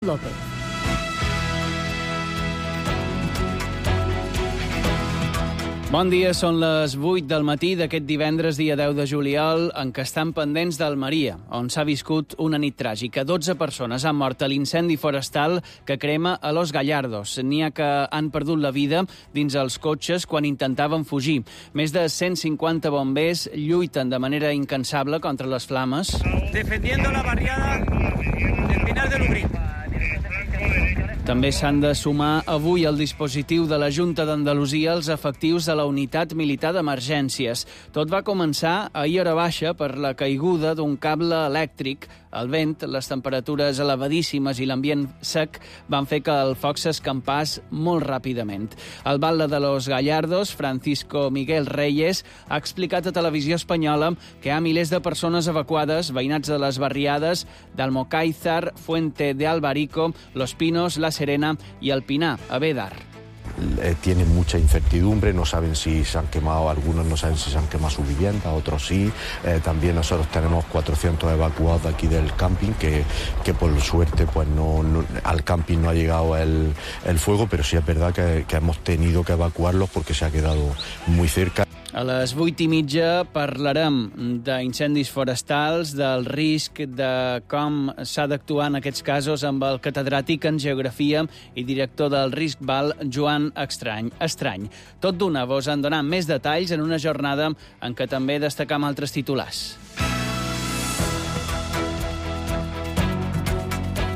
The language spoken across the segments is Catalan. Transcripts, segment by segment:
López. Bon dia, són les 8 del matí d'aquest divendres, dia 10 de juliol, en què estan pendents d'Almeria, on s'ha viscut una nit tràgica. 12 persones han mort a l'incendi forestal que crema a Los Gallardos. N'hi ha que han perdut la vida dins els cotxes quan intentaven fugir. Més de 150 bombers lluiten de manera incansable contra les flames. Defendiendo la barriada del Pinar de Lubrín. També s'han de sumar avui al dispositiu de la Junta d'Andalusia els efectius de la Unitat Militar d'Emergències. Tot va començar ahir hora baixa per la caiguda d'un cable elèctric. El vent, les temperatures elevadíssimes i l'ambient sec van fer que el foc s'escampàs molt ràpidament. El batlle de Los Gallardos, Francisco Miguel Reyes, ha explicat a Televisió Espanyola que hi ha milers de persones evacuades, veïnats de les barriades d'Almocáizar, Fuente de Albarico, Los Pinos, La Serena y El Pinar, a Bédar. Tienen mucha incertidumbre, no saben si se han quemado, algunos no saben si se han quemado su vivienda, otros sí. También nosotros tenemos 400 evacuados de aquí del camping, que por suerte pues al camping no ha llegado el fuego, pero sí es verdad que hemos tenido que evacuarlos porque se ha quedado muy cerca. A les 8:30 parlarem d'incendis forestals, del risc, de com s'ha d'actuar en aquests casos amb el catedràtic en Geografia i director del RISC-Val, Joan Estrany. Tot d'una vos en donant més detalls en una jornada en què també destacam altres titulars.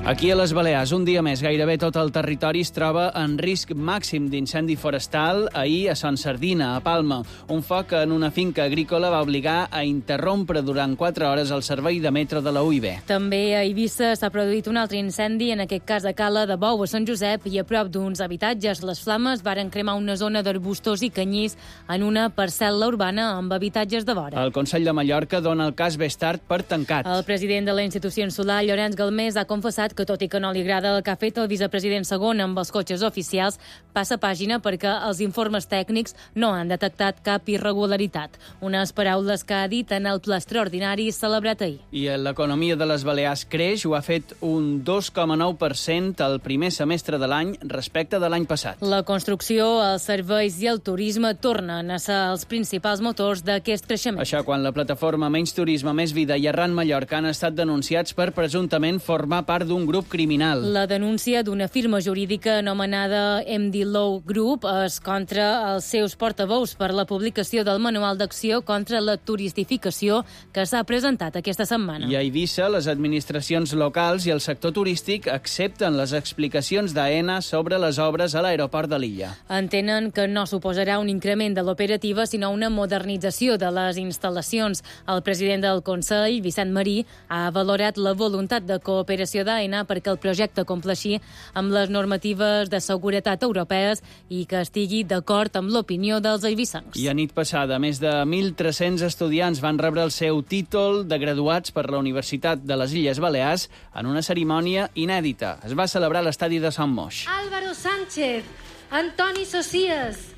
Aquí a les Balears, un dia més, gairebé tot el territori es troba en risc màxim d'incendi forestal. Ahir a Son Sardina, a Palma, un foc en una finca agrícola va obligar a interrompre durant 4 hores el servei de metro de la UIB. També a Eivissa s'ha produït un altre incendi, en aquest cas a Cala de Bou, a Sant Josep, i a prop d'uns habitatges. Les flames varen cremar una zona d'arbustors i canyís en una parcel·la urbana amb habitatges de vora. El Consell de Mallorca dona el cas Bestart per tancat. El president de la institució insular, Llorenç Galmés, ha confessat que tot i que no li agrada el que ha fet el vicepresident segon amb els cotxes oficials, passa pàgina perquè els informes tècnics no han detectat cap irregularitat. Unes paraules que ha dit en el ple extraordinari celebrat ahir. I l'economia de les Balears creix, ho ha fet un 2,9% el primer semestre de l'any respecte de l'any passat. La construcció, els serveis i el turisme tornen a ser els principals motors d'aquest creixement. Això quan la plataforma Menys Turisme, Més Vida i Arran Mallorca han estat denunciats per presumptament formar part d'un grup criminal. La denúncia d'una firma jurídica anomenada MD Law Group és contra els seus portaveus per la publicació del Manual d'Acció contra la Turistificació que s'ha presentat aquesta setmana. I a Eivissa, les administracions locals i el sector turístic accepten les explicacions d'AENA sobre les obres a l'aeroport de l'illa. Entenen que no suposarà un increment de l'operativa, sinó una modernització de les instal·lacions. El president del Consell, Vicent Marí, ha valorat la voluntat de cooperació d'AENA perquè el projecte compleixi amb les normatives de seguretat europees i que estigui d'acord amb l'opinió dels eivissencs. I a nit passada, més de 1.300 estudiants van rebre el seu títol de graduats per la Universitat de les Illes Balears en una cerimònia inèdita. Es va celebrar a l'estadi de Sant Moix. Álvaro Sánchez, Antoni Socias,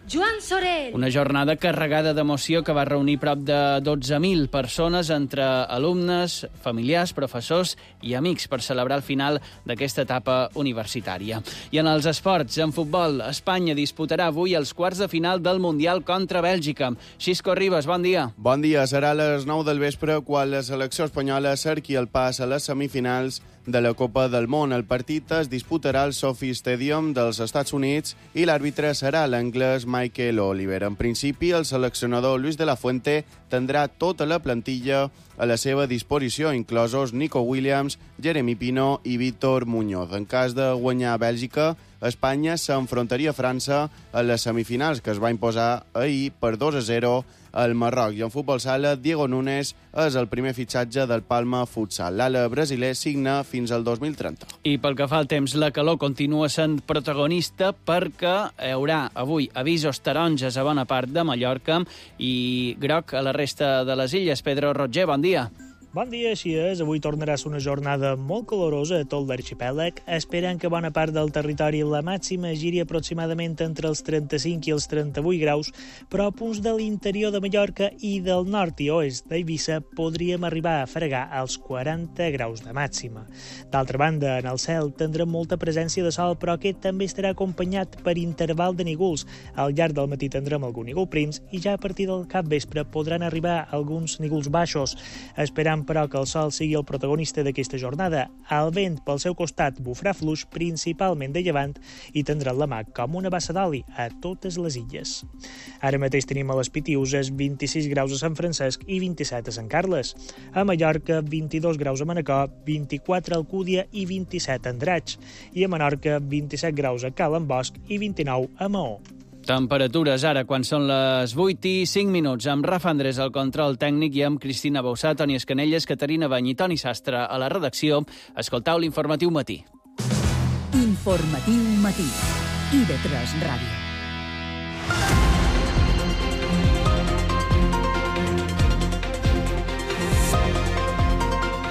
Joan Sorell. Una jornada carregada d'emoció que va reunir prop de 12.000 persones entre alumnes, familiars, professors i amics per celebrar el final d'aquesta etapa universitària. I en els esports, en futbol, Espanya disputarà avui els quarts de final del Mundial contra Bèlgica. Xisco Ribas, bon dia. Bon dia. Serà a les 9 del vespre quan la selecció espanyola cerqui el pas a les semifinals de la Copa del Món. El partit es disputarà al SoFi Stadium dels Estats Units i l'àrbitre serà l'anglès Michael Oliver. En principi, el seleccionador Luis de la Fuente tindrà tota la plantilla a la seva disposició, inclosos Nico Williams, Jeremy Pino i Víctor Muñoz. En cas de guanyar Bèlgica, Espanya s'enfrontaria a França a les semifinals, que es va imposar ahir per 2-0 al Marroc. I en futbol sala, Diego Núñez és el primer fitxatge del Palma Futsal. L'ala brasiler signa fins al 2030. I pel que fa al temps, la calor continua sent protagonista perquè hi haurà avui avisos taronges a bona part de Mallorca i groc a la resta de les illes. Pedro Roger, bon dia. Bon dia, així és. Avui tornarà a ser una jornada molt calorosa a tot l'arxipèlag. Esperen que bona part del territori la màxima giri aproximadament entre els 35 i els 38 graus, però a punts de l'interior de Mallorca i del nord i oest d'Eivissa podríem arribar a fregar als 40 graus de màxima. D'altra banda, en el cel tindrem molta presència de sol, però aquest també estarà acompanyat per interval de nígols. Al llarg del matí tindrem algun nígol prims i ja a partir del capvespre podran arribar alguns nígols baixos. Esperam però que el sol sigui el protagonista d'aquesta jornada. El vent, pel seu costat, bufarà fluix, principalment de llevant, i tindrà la mà com una bassa d'oli a totes les illes. Ara mateix tenim a les Pitiüses 26 graus a Sant Francesc i 27 a Sant Carles. A Mallorca, 22 graus a Manacor, 24 a Alcúdia i 27 a Andratx. I a Menorca, 27 graus a Cala Bosch i 29 a Maó. Temperatures ara, quan són les 8:05, amb Rafa Andrés al control tècnic i amb Cristina Bausà, Toni Escanelles, Caterina Bany i Toni Sastre a la redacció. Escoltau l'Informatiu Matí. Informatiu Matí. IB3 Ràdio.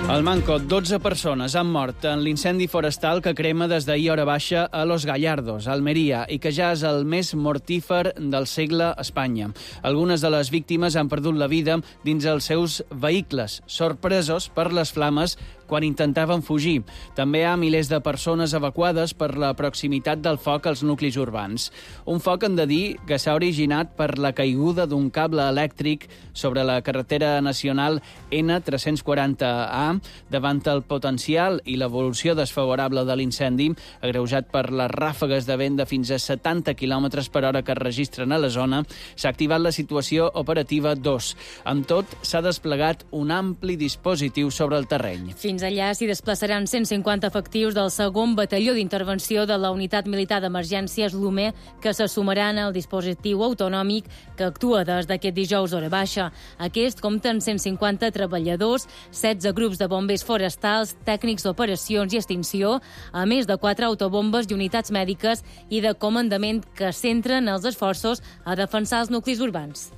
Al Manco, 12 persones han mort en l'incendi forestal que crema des d'ahir hora baixa a Los Gallardos, Almeria, i que ja és el més mortífer del segle a Espanya. Algunes de les víctimes han perdut la vida dins els seus vehicles, sorpresos per les flames quan intentaven fugir. També hi ha milers de persones evacuades per la proximitat del foc als nuclis urbans. Un foc, hem de dir, que s'ha originat per la caiguda d'un cable elèctric sobre la carretera nacional N340A davant el potencial i l'evolució desfavorable de l'incendi, agreujat per les ràfegues de vent de fins a 70 km per hora que es registren a la zona. S'ha activat la situació operativa 2. Amb tot, s'ha desplegat un ampli dispositiu sobre el terreny. Fins allà s'hi desplaçaran 150 efectius del segon batalló d'intervenció de la Unitat Militar d'Emergències LUME, que se sumaran al dispositiu autonòmic que actua des d'aquest dijous hora baixa. Aquest compta amb 150 treballadors, 16 grups de bombers forestals, tècnics d'operacions i extinció, a més de 4 autobombes i unitats mèdiques i de comandament que centren els esforços a defensar els nuclis urbans.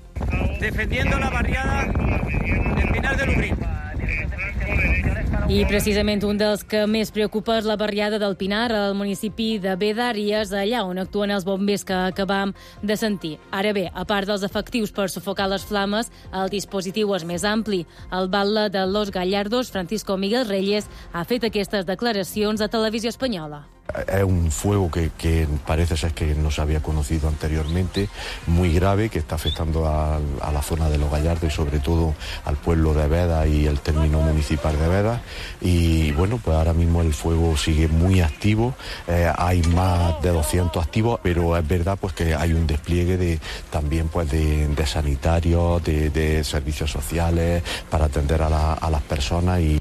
Defendiendo la barriada del Pinar de Lubrín. I precisament un dels que més preocupa és la barriada del Pinar, al municipi de Bédar, i és allà on actuen els bombers que acabam de sentir. Ara bé, a part dels efectius per sufocar les flames, el dispositiu és més ampli. El batlle de Los Gallardos, Francisco Miguel Reyes, ha fet aquestes declaracions a Televisió Espanyola. Es un fuego que parece ser que no se había conocido anteriormente, muy grave, que está afectando a la zona de Los Gallardos y sobre todo al pueblo de Bédar y el término municipal de Bédar. Y bueno, pues ahora mismo el fuego sigue muy activo, hay más de 200 activos, pero es verdad pues que hay un despliegue también pues de sanitarios, de servicios sociales para atender a las personas y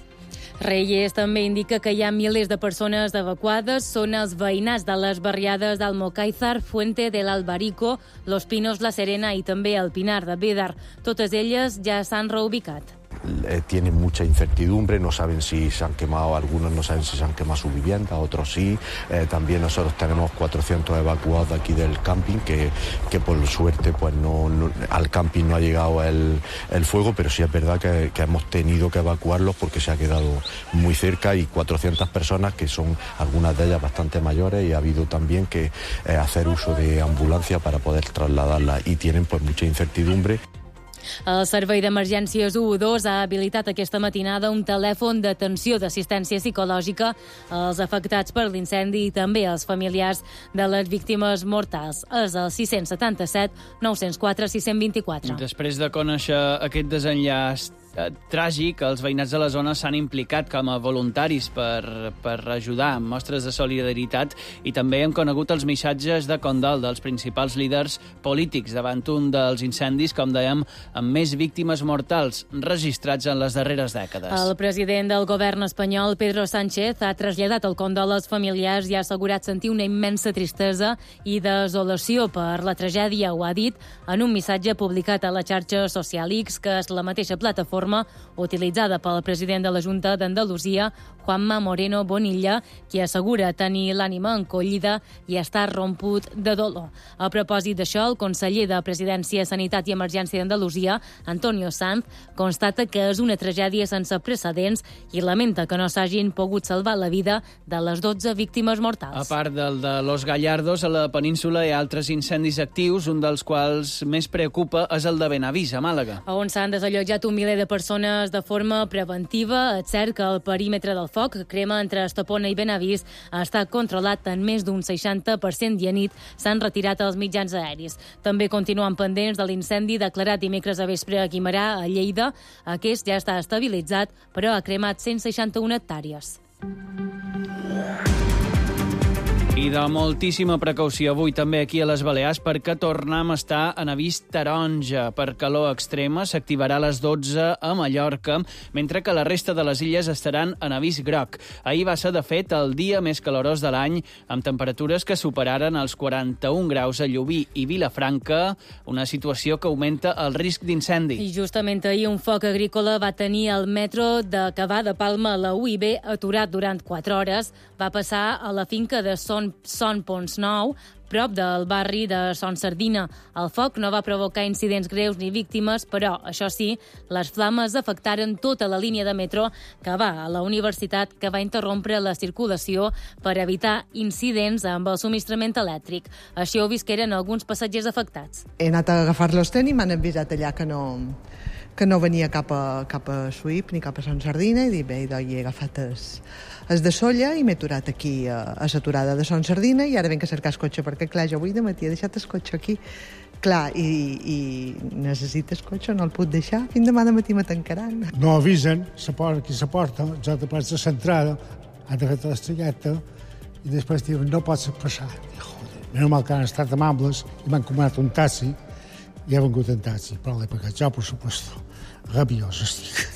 Reyes també indica que hi ha milers de persones evacuades. Són els veïnats de les barriades d'Almocáizar, Fuente del Albarico, Los Pinos, La Serena i també el Pinar de Bédar. Totes elles ja s'han reubicat. Tienen mucha incertidumbre, no saben si se han quemado, algunos no saben si se han quemado su vivienda, otros sí. También nosotros tenemos 400 evacuados de aquí del camping que por suerte pues al camping no ha llegado el fuego, pero sí es verdad que hemos tenido que evacuarlos porque se ha quedado muy cerca y 400 personas que son algunas de ellas bastante mayores y ha habido también que hacer uso de ambulancia para poder trasladarlas y tienen pues mucha incertidumbre. El Servei d'Emergències 112 ha habilitat aquesta matinada un telèfon d'atenció d'assistència psicològica als afectats per l'incendi i també als familiars de les víctimes mortals. És el 677 904 624. Després de conèixer aquest desenllaç tràgic, els veïnats de la zona s'han implicat com a voluntaris per ajudar amb mostres de solidaritat i també hem conegut els missatges de condol dels principals líders polítics davant un dels incendis, com dèiem, amb més víctimes mortals registrats en les darreres dècades. El president del govern espanyol, Pedro Sánchez, ha traslladat el condol als familiars i ha assegurat sentir una immensa tristesa i desolació per la tragèdia. Ho ha dit en un missatge publicat a la xarxa social X, que és la mateixa plataforma plataforma utilitzada pel president de la Junta d'Andalusia, Juanma Moreno Bonilla, qui assegura tenir l'ànima encollida i estar romput de dolor. A propòsit d'això, el conseller de Presidència, Sanitat i Emergència d'Andalusia, Antonio Sanz, constata que és una tragèdia sense precedents i lamenta que no s'hagin pogut salvar la vida de les 12 víctimes mortals. A part del de Los Gallardos, a la península hi ha altres incendis actius, un dels quals més preocupa és el de Benavís, a Màlaga. On s'han desallotjat un miler de persones de forma preventiva. És cert que el perímetre del foc, que crema entre Estepona i Benavís, està controlat en més d'un 60% i a nit s'han retirat els mitjans aeris. També continuen pendents de l'incendi declarat dimecres a vespre a Guimerà, a Lleida. Aquest ja està estabilitzat, però ha cremat 161 hectàrees. I de moltíssima precaució avui també aquí a les Balears perquè tornem a estar en avís taronja. Per calor extrema s'activarà a les 12 a Mallorca, mentre que la resta de les illes estaran en avís groc. Ahir va ser, de fet, el dia més calorós de l'any, amb temperatures que superaren els 41 graus a Llubí i Vilafranca, una situació que augmenta el risc d'incendi. I justament ahir un foc agrícola va tenir el metro de Cavà de Palma a la UIB aturat durant 4 hores. Va passar a la finca de Son Pons Nou, prop del barri de Son Sardina. El foc no va provocar incidents greus ni víctimes, però, això sí, les flames afectaren tota la línia de metro que va a la universitat, que va interrompre la circulació per evitar incidents amb el subministrament elèctric. Així ho visqueren alguns passatgers afectats. He anat a agafar-los i m'han avisat allà que no venia cap a Suïp ni cap a Son Sardina, i dic, bé, he agafat el de Solla i m'he aturat aquí a l'aturada de Son Sardina, i ara venc a cercar el cotxe, perquè clar, jo avui de matí he deixat el cotxe aquí, clar, i necessites cotxe, no el puc deixar, fins demà de matí me tancaran. No avisen, qui se porta, jo te passa l'entrada, han agafat l'estrelleta, i després diuen, no pots passar. Joder, menys mal que han estat amables i m'han comanat un taxi, i he vengut en taxi, però l'he pagat jo, per supuesto. Rabiós estic.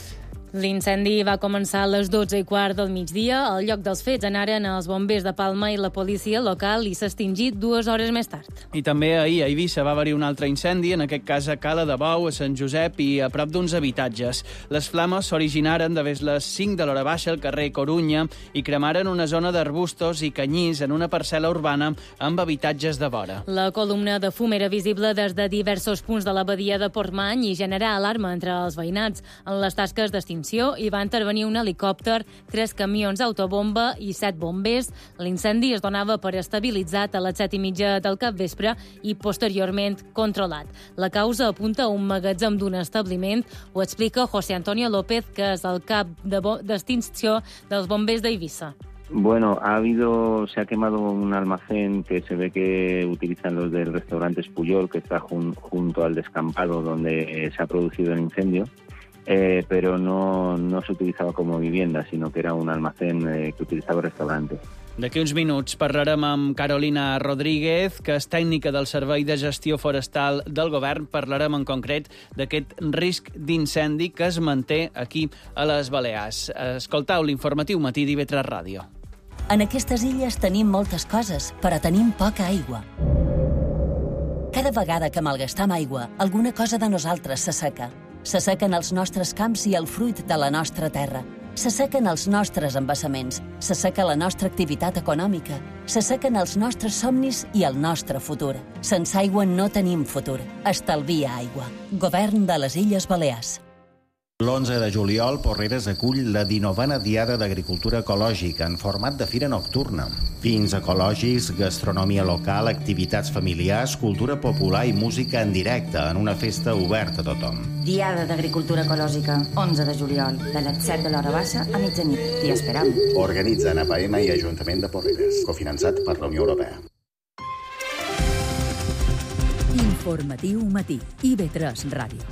L'incendi va començar a les 12:15 del migdia. Al lloc dels fets anaren els bombers de Palma i la policia local i s'ha extingit 2 hores més tard. I també ahir a Eivissa va haver-hi un altre incendi, en aquest cas a Cala de Bou, a Sant Josep i a prop d'uns habitatges. Les flames s'originaren de les 5 de l'hora baixa al carrer Corunya i cremaren una zona d'arbustos i canyís en una parcel·la urbana amb habitatges de vora. La columna de fum era visible des de diversos punts de la badia de Portmany i generà alarma entre els veïnats. En les tasques d'extinció hi va intervenir un helicòpter, 3 camions autobomba i 7 bombers. L'incendi es donava per estabilitzat a les 7:30 del capvespre i posteriorment controlat. La causa apunta a un magatzem d'un establiment. Ho explica José Antonio López, que és el cap d'extinció dels bombers d'Eivissa. Bueno, se ha quemado un almacén que se ve que utilizan los del restaurante Espuyol, que está junto al descampado donde se ha producido el incendio. Pero no se utilizaba como vivienda, sino que era un almacén que utilizaba el restaurante. D'aquí uns minuts parlarem amb Carolina Rodríguez, que és tècnica del Servei de Gestió Forestal del Govern. Parlarem en concret d'aquest risc d'incendi que es manté aquí a les Balears. Escoltau l'informatiu matí d'IV3 Ràdio. En aquestes illes tenim moltes coses, però tenim poca aigua. Cada vegada que malgastam aigua, alguna cosa de nosaltres s'asseca. S'assequen els nostres camps i el fruit de la nostra terra. S'assequen els nostres embassaments. S'asseca la nostra activitat econòmica. S'assequen els nostres somnis i el nostre futur. Sense aigua no tenim futur. Estalvia aigua. Govern de les Illes Balears. L'11 de juliol, Porreres acull la 19a Diada d'Agricultura Ecològica en format de fira nocturna. Vins ecològics, gastronomia local, activitats familiars, cultura popular i música en directe en una festa oberta a tothom. Diada d'Agricultura Ecològica, 11 de juliol, de les 7 de l'hora baixa a mitjanit. T'hi esperam. Organitzen APM i Ajuntament de Porreres, cofinançat per la Unió Europea. Informatiu matí, IV3 Ràdio.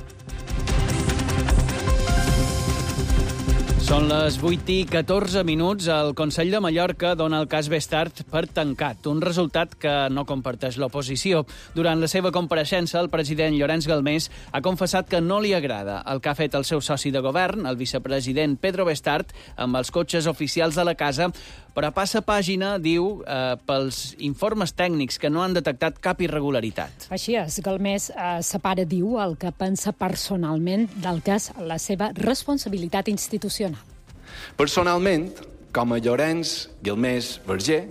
Són les 8:14. El Consell de Mallorca dona el cas Bestart per tancat, un resultat que no comparteix l'oposició. Durant la seva compareixença, el president Llorenç Galmés ha confessat que no li agrada el que ha fet el seu soci de govern, el vicepresident Pedro Bestart, amb els cotxes oficials de la casa, però passa pàgina, diu, pels informes tècnics que no han detectat cap irregularitat. Així és, Galmés separa, diu, el que pensa personalment del que és la seva responsabilitat institucional. Personalment, com a Llorenç Galmés Verger,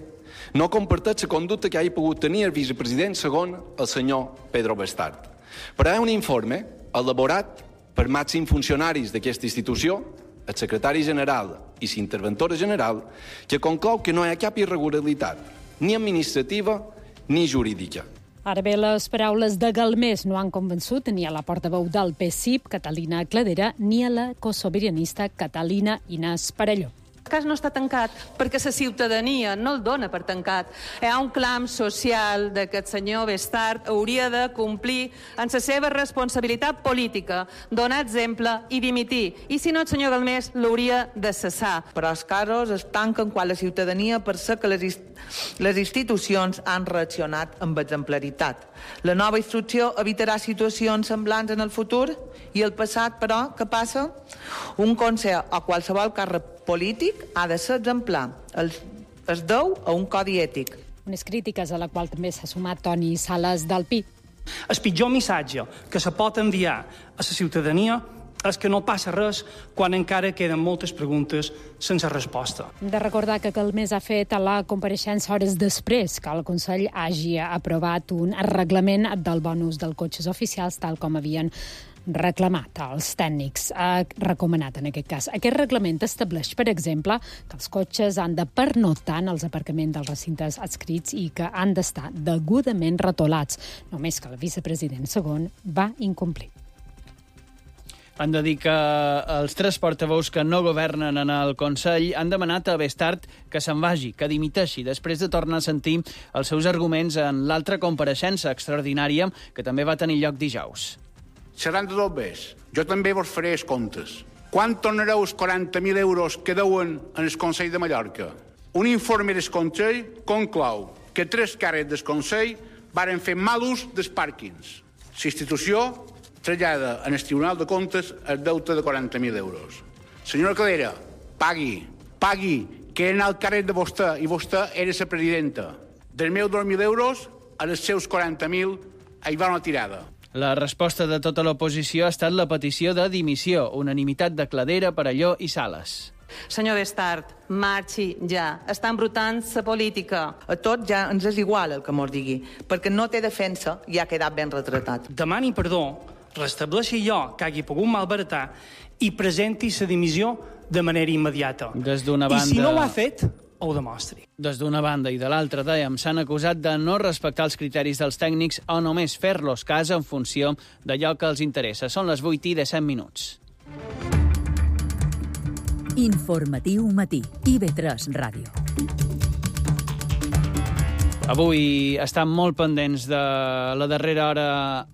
no comparteix la conducta que hagi pogut tenir el vicepresident segon el senyor Pedro Bestart. Però hi ha un informe elaborat per màxims funcionaris d'aquesta institució, el secretari general i l'interventora general, que conclou que no hi ha cap irregularitat, ni administrativa ni jurídica. Ara bé, les paraules de Galmés no han convençut ni a la portaveu del PSIP, Catalina Cladera, ni a la cosobirianista Catalina Inés Parelló. El cas no està tancat perquè la ciutadania no el dona per tancat. Hi ha un clam social de que el senyor Bestart hauria de complir en la seva responsabilitat política, donar exemple i dimitir. I si no, el senyor Galmés l'hauria de cessar. Però els casos es tanquen quan la ciutadania percep que les institucions han reaccionat amb exemplaritat. La nova instrucció evitarà situacions semblants en el futur i el passat, però, què passa? Un consell o qualsevol càrrec polític ha de ser exemplar. Es deu a un codi ètic. Unes crítiques a la qual també s'ha sumat Toni Sales del PI. El pitjor missatge que se pot enviar a la ciutadania és que no passa res quan encara queden moltes preguntes sense resposta. Hem de recordar que Galmés ha fet a la compareixença hores després que el Consell hagi aprovat un reglament del bonus dels cotxes oficials, tal com havien reclamat els tècnics, ha recomanat en aquest cas. Aquest reglament estableix, per exemple, que els cotxes han de pernoctar en els aparcaments dels recintes adscrits i que han d'estar degudament retolats, només que el vicepresident segon va incomplir. Han de dir que els tres portaveus que no governen en el Consell han demanat a Bestart que se'n vagi, que dimiteixi, després de tornar a sentir els seus arguments en l'altra compareixença extraordinària que també va tenir lloc dijous. Seran de dos bes. Jo també vos faré els comptes. Quan tornareu els 40.000 euros que deuen en el Consell de Mallorca? Un informe del Consell conclou que 3 càrrecs del Consell varen fer mal ús dels pàrquings. La institució trasllada en el Tribunal de Comptes el deute de 40.000 euros. Senyora Cladera, pagui, que era el càrrec de vostè i vostè era la presidenta. Dels meus 2.000 euros, a els seus 40.000 hi va una tirada. La resposta de tota l'oposició ha estat la petició de dimissió, unanimitat de Cladera, Parelló i Sales. Senyor Bestart, marxi ja. Està embrutant la política. A tots ja ens és igual el que mos digui, perquè no té defensa i ha quedat ben retratat. Demani perdó, restableixi allò que hagi pogut malbaratar i presenti la dimissió de manera immediata. Des d'una banda... I si no ho ha fet, ho demostri. Des d'una banda i de l'altra, dèiem, s'han acusat de no respectar els criteris dels tècnics o només fer-los cas en funció d'allò que els interessa. Són les 8:17. Informatiu matí. IB3 Ràdio. Avui estan molt pendents de la darrera hora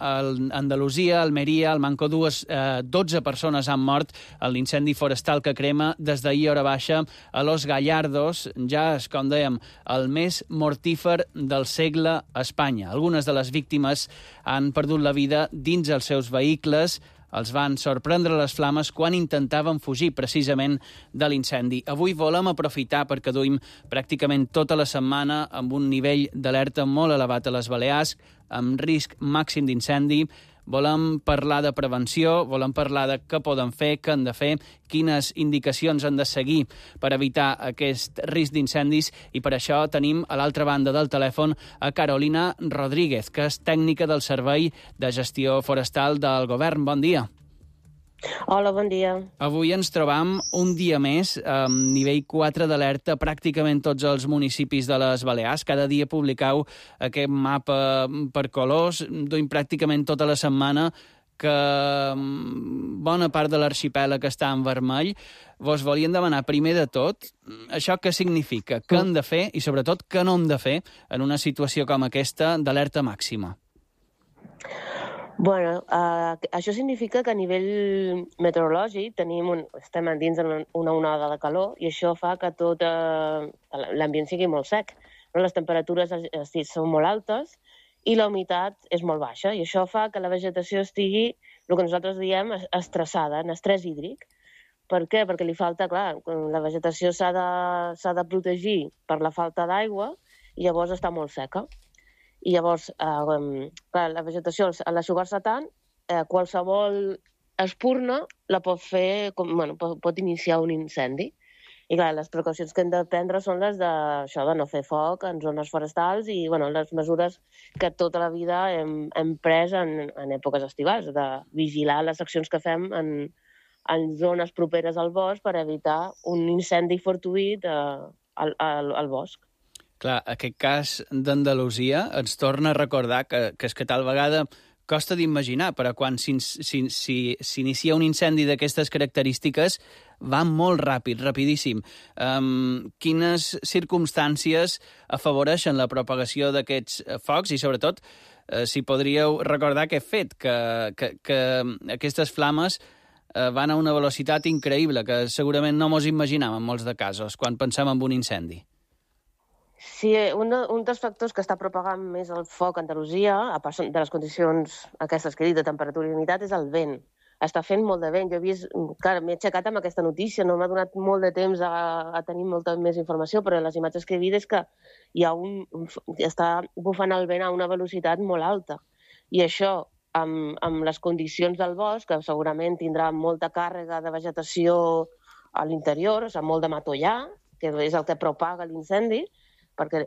a Andalusia, Almeria, al Manco. 12 persones han mort en l'incendi forestal que crema des d'ahir hora baixa a Los Gallardos. Ja és, com dèiem, el més mortífer del segle a Espanya. Algunes de les víctimes han perdut la vida dins els seus vehicles. Els van sorprendre les flames quan intentaven fugir precisament de l'incendi. Avui volem aprofitar perquè duim pràcticament tota la setmana amb un nivell d'alerta molt elevat a les Balears, amb risc màxim d'incendi. Volem parlar de prevenció, volem parlar de què poden fer, què han de fer, quines indicacions han de seguir per evitar aquest risc d'incendis, i per això tenim a l'altra banda del telèfon a Carolina Rodríguez, que és tècnica del Servei de Gestió Forestal del Govern. Bon dia. Hola, bon dia. Avui ens trobam un dia més amb nivell 4 d'alerta pràcticament tots els municipis de les Balears. Cada dia publicau aquest mapa per colors, duim pràcticament tota la setmana que bona part de l'arxipèlag està en vermell. Vos volien demanar, primer de tot, això què significa, què hem de fer i, sobretot, què no hem de fer en una situació com aquesta d'alerta màxima. Bueno, això significa que a nivell meteorològic estem dins una onada de calor i això fa que tot l'ambient sigui molt sec. Les temperatures són molt altes i la humitat és molt baixa i això fa que la vegetació estigui, el que nosaltres diem, estressada, en estrès hídric. Per què? Perquè li falta, clar, la vegetació s'ha de protegir per la falta d'aigua i llavors està molt seca. I llavors, clar, la vegetació, a l'aixugar-se tant, qualsevol espurna la pot fer, pot iniciar un incendi. I clar, les precaucions que hem de prendre són les de no fer foc en zones forestals i les mesures que tota la vida hem pres en èpoques estivals, de vigilar les accions que fem en zones properes al bosc per evitar un incendi fortuït al bosc. Clar, aquest cas d'Andalusia ens torna a recordar que és que tal vegada costa d'imaginar, però quan s'inicia un incendi d'aquestes característiques va molt ràpid, rapidíssim. Quines circumstàncies afavoreixen la propagació d'aquests focs i, sobretot, si podríeu recordar aquest fet, que aquestes flames van a una velocitat increïble, que segurament no mos imaginàvem en molts de casos, quan pensem en un incendi. Sí, un dels factors que està propagant més el foc a Andalusia, a part de les condicions aquestes que he dit, de temperatura i humitat, és el vent. Està fent molt de vent. Jo he vist, clar, m'he aixecat amb aquesta notícia, no m'ha donat molt de temps a tenir molta més informació, però les imatges que he vist és que està bufant el vent a una velocitat molt alta. I això, amb les condicions del bosc, que segurament tindrà molta càrrega de vegetació a l'interior, molt de matollar, que és el que propaga l'incendi, perquè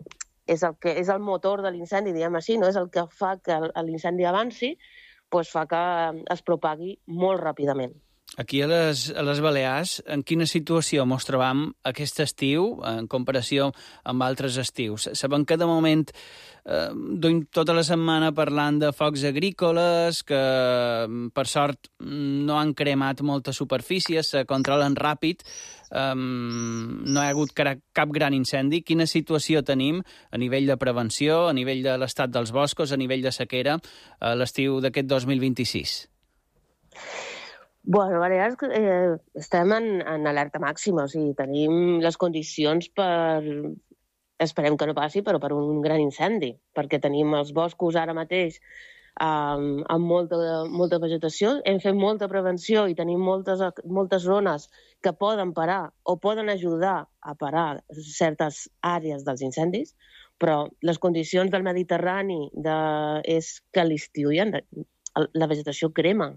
és el motor de l'incendi, diguem així, no? És el que fa que l'incendi avanci, doncs fa que es propagui molt ràpidament. Aquí a les Balears, en quina situació ens trobam aquest estiu en comparació amb altres estius? Sabem que de moment duim tota la setmana parlant de focs agrícoles, que per sort no han cremat moltes superfícies, se controlen ràpid, no hi ha hagut cap gran incendi. Quina situació tenim a nivell de prevenció, a nivell de l'estat dels boscos, a nivell de sequera a l'estiu d'aquest 2026? Bueno, Balears estem en alerta màxima, o sigui, tenim les condicions per, esperem que no passi, però per un gran incendi, perquè tenim els boscos ara mateix amb molta vegetació, hem fet molta prevenció i tenim moltes zones que poden parar o poden ajudar a parar certes àrees dels incendis, però les condicions del Mediterrani és que a l'estiu la vegetació crema.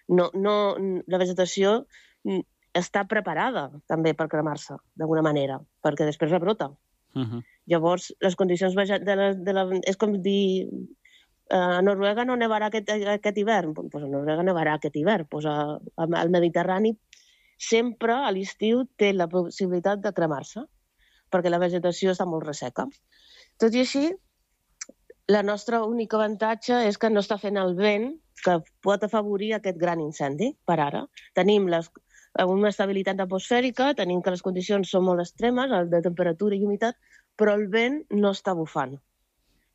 La vegetació està preparada també per cremar-se, d'alguna manera, perquè després rebrota. Llavors, les condicions és com dir a Noruega no nevarà aquest hivern, doncs a Noruega nevarà aquest hivern. Al Mediterrani sempre a l'estiu té la possibilitat de cremar-se, perquè la vegetació està molt resseca. Tot i així, la nostra única avantatge és que no està fent el vent que pot afavorir aquest gran incendi, per ara. Tenim una estabilitat atmosfèrica, tenim que les condicions són molt extremes, de temperatura i humitat, però el vent no està bufant.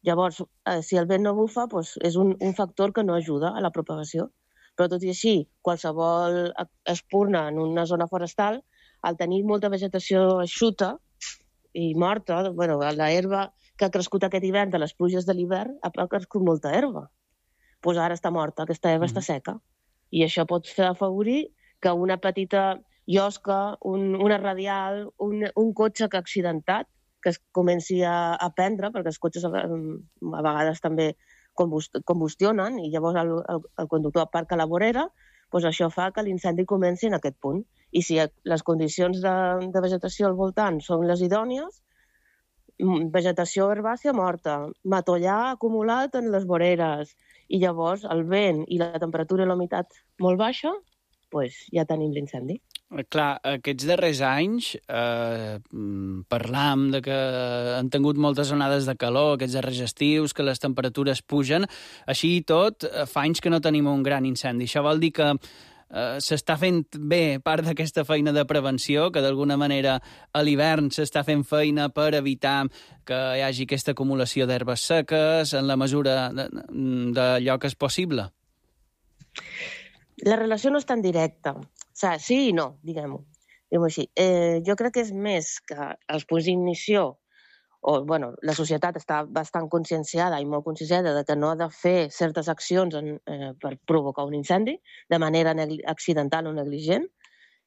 Llavors, si el vent no bufa, és un factor que no ajuda a la propagació. Però tot i així, qualsevol espurna en una zona forestal, al tenir molta vegetació eixuta i morta, l'herba que ha crescut aquest hivern de les pluges de l'hivern, ha crescut molta herba. Doncs ara està morta, aquesta herba està seca. I això pot fer afavorir que una petita llosca, una radial, un cotxe que ha accidentat, que es comenci a prendre, perquè els cotxes a vegades també combustionen i llavors el conductor aparca a la vorera, doncs això fa que l'incendi comenci en aquest punt. I si les condicions de vegetació al voltant són les idònies, vegetació herbàcia morta, matollar acumulat en les voreres, i llavors el vent i la temperatura i la humitat molt baixa, doncs ja tenim l'incendi. Clar, aquests darrers anys parlam de que han tingut moltes onades de calor, aquests darrers estius, que les temperatures pugen. Així i tot, fa anys que no tenim un gran incendi. Això vol dir que s'està fent bé part d'aquesta feina de prevenció, que d'alguna manera a l'hivern s'està fent feina per evitar que hi hagi aquesta acumulació d'herbes seques en la mesura d'allò que és possible. La relació no és tan directa. O sigui, sí i no, diguem-ho així. Jo crec que és més que els punts d'ignició, la societat està bastant conscienciada i molt conscienciada de que no ha de fer certes accions per provocar un incendi de manera accidental o negligent,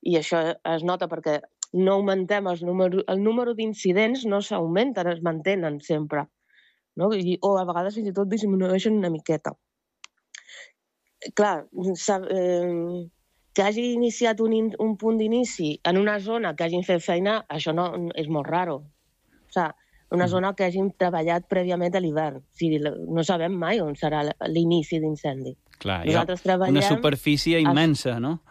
i això es nota perquè no augmentem el número d'incidents, no s'augmenten, es mantenen sempre, no? O a vegades fins i tot disminueixen una miqueta. Clar, que hagi iniciat un punt d'inici en una zona que hagin fet feina, això no és molt raro. O sigui, una zona que hagin treballat prèviament a l'hivern. O sigui, no sabem mai on serà l'inici d'incendi. Clar, hi ha una superfície immensa, no?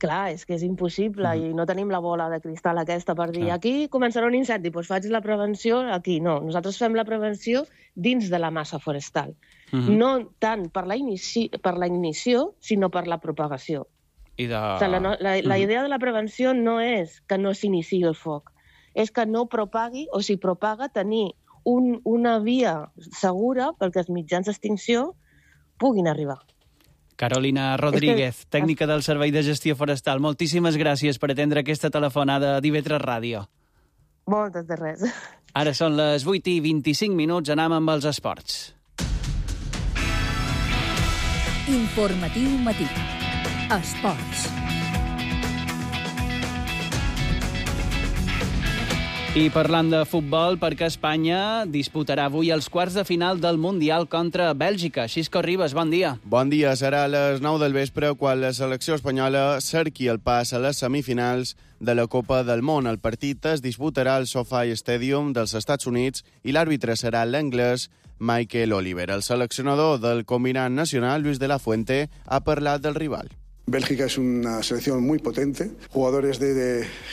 Clar, és que és impossible i no tenim la bola de cristal aquesta per dir aquí començarà un incendi, doncs faig la prevenció aquí. No, nosaltres fem la prevenció dins de la massa forestal. No tant per la ignició, sinó per la propagació. La idea de la prevenció no és que no s'iniciï el foc, és que no propagui, o si propaga, tenir una via segura perquè els mitjans d'extinció puguin arribar. Carolina Rodríguez, tècnica del Servei de Gestió Forestal, moltíssimes gràcies per atendre aquesta telefonada d'IV3 Ràdio. Moltes de res. Ara són les 8:25, anem amb els esports. Informatiu matí. Esports. I parlant de futbol, perquè Espanya disputarà avui els quarts de final del Mundial contra Bèlgica. Xisco Ribas, bon dia. Bon dia. Serà a les 9 del vespre quan la selecció espanyola cerqui el pas a les semifinals de la Copa del Món. El partit es disputarà al SoFi Stadium dels Estats Units i l'àrbitre serà l'anglès Michael Oliver. El seleccionador del combinat nacional, Luis de la Fuente, ha parlat del rival. Bélgica es una selección muy potente. Jugadores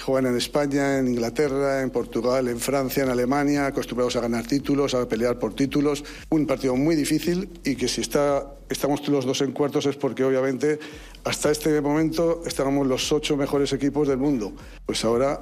juegan en España, en Inglaterra, en Portugal, en Francia, en Alemania, acostumbrados a ganar títulos, a pelear por títulos. Un partido muy difícil y que si estamos los dos en cuartos es porque obviamente hasta este momento estábamos los 8 mejores equipos del mundo. Pues ahora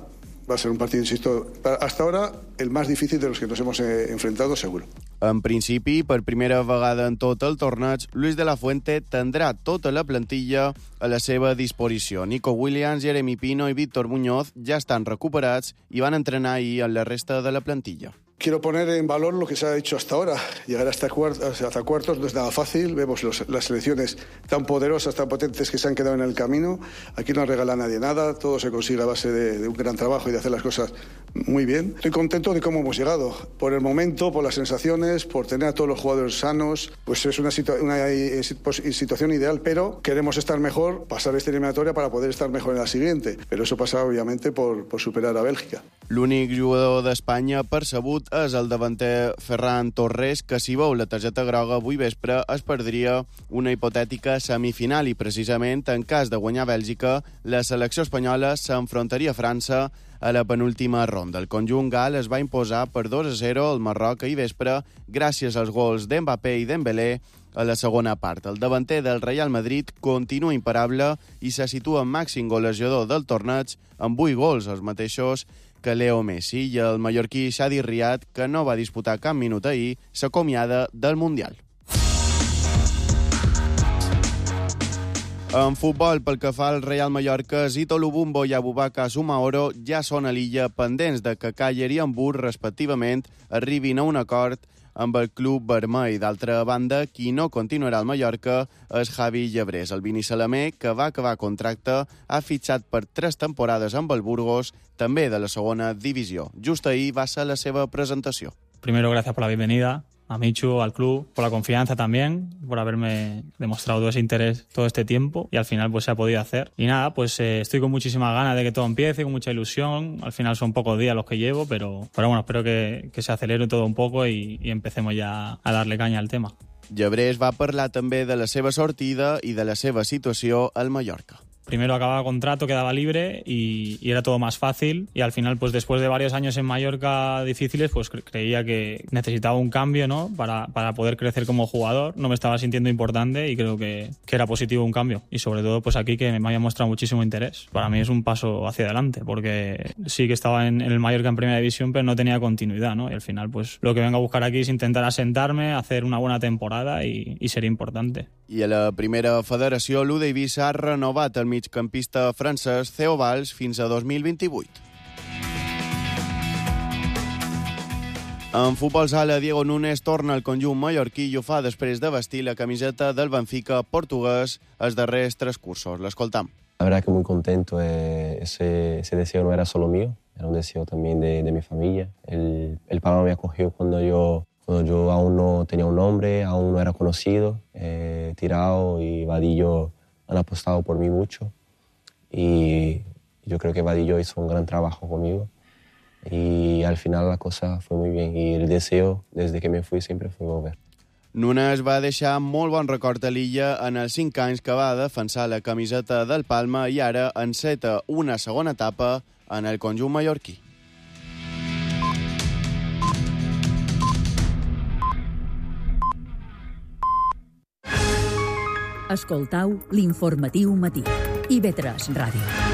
va a ser un partido, insisto, hasta ahora el más difícil de los que nos hemos enfrentado, seguro. En principi, per primera vegada en tot el torneig, Luis de la Fuente tindrà tota la plantilla a la seva disposició. Nico Williams, Jeremy Pino i Víctor Muñoz ja estan recuperats i van entrenar ahir amb la resta de la plantilla. Quiero poner en valor lo que se ha hecho hasta ahora. Llegar hasta cuartos no es nada fácil. Vemos las selecciones tan poderosas, tan potentes que se han quedado en el camino. Aquí no regala a nadie nada. Todo se consigue a base de un gran trabajo y de hacer las cosas muy bien. Estoy contento de cómo hemos llegado. Por el momento, por las sensaciones, por tener a todos los jugadores sanos. Pues es una situación ideal, pero queremos estar mejor, pasar esta eliminatoria para poder estar mejor en la siguiente. Pero eso pasa, obviamente, por superar a Bèlgica. L'únic jugador d'Espanya percebut és el davanter Ferran Torres, que si veu la targeta groga avui vespre es perdria una hipotètica semifinal i precisament en cas de guanyar Bèlgica la selecció espanyola s'enfrontaria a França a la penúltima ronda. El conjunt gal es va imposar per 2-0 al Marroc ahir vespre gràcies als gols d'Mbappé i Dembélé a la segona part. El davanter del Real Madrid continua imparable i se situa en màxim golejador del torneig amb 8 gols, els mateixos que Leo Messi, i el mallorquí Shadi Riad, que no va disputar cap minut ahir, s'acomiada del Mundial. En futbol, pel que fa al Real Mallorca, Zito Lubumbo i Abubakar Sumaoro ja són a l'illa pendents de que Càller i Hamburg, respectivament, arribin a un acord amb el club vermell. D'altra banda, qui no continuarà al Mallorca és Javi Llebrés. El vinissalamé, que va acabar contracte, ha fitxat per 3 temporades amb el Burgos, també de la segona divisió. Just ahir va ser la seva presentació. Primero, gracias por la bienvenida a Michu, al club, por la confianza también, por haberme demostrado todo ese interés todo este tiempo y al final pues se ha podido hacer. Y nada, pues estoy con muchísimas ganas de que todo empiece, con mucha ilusión. Al final son pocos días los que llevo, pero bueno, espero que se acelere todo un poco y empecemos ya a darle caña al tema. Llebrés va parlar també de la seva sortida i de la seva situació al Mallorca. primero acababa contrato, quedaba libre y era todo más fácil. Y al final, pues después de varios años en Mallorca difíciles, pues creía que necesitaba un cambio, ¿no? Para poder crecer como jugador. No me estaba sintiendo importante y creo que era positivo un cambio. Y sobre todo, pues aquí que me había mostrado muchísimo interés. Para mí es un paso hacia adelante, porque sí que estaba en el Mallorca en primera división, pero no tenía continuidad, ¿no? Y al final, pues lo que vengo a buscar aquí es intentar asentarme, hacer una buena temporada y sería importante. I a la primera federació, l'U d'Eivissa ha renovat el migcampista francès Theo Valls fins a 2028. En futbol sala, Diego Núñez torna al conjunt mallorquí i ho fa després de vestir la camiseta del Benfica portuguès els darrers 3 cursos. L'escoltam. La verdad que muy contento. Ese deseo no era solo mío, era un deseo también de mi familia. El Palma me acogió cuando yo aún no tenía un nombre, aún no era conocido. Tirao y Vadillo han apostado por mí mucho. Y yo creo que Vadillo hizo un gran trabajo conmigo. Y al final la cosa fue muy bien. Y el deseo, desde que me fui, siempre fue volver. Núñez va deixar molt bon record a l'illa en els 5 anys que va defensar la camiseta del Palma i ara enceta una segona etapa en el conjunt mallorquí. Escoltau l'informatiu matí. IB3 Ràdio.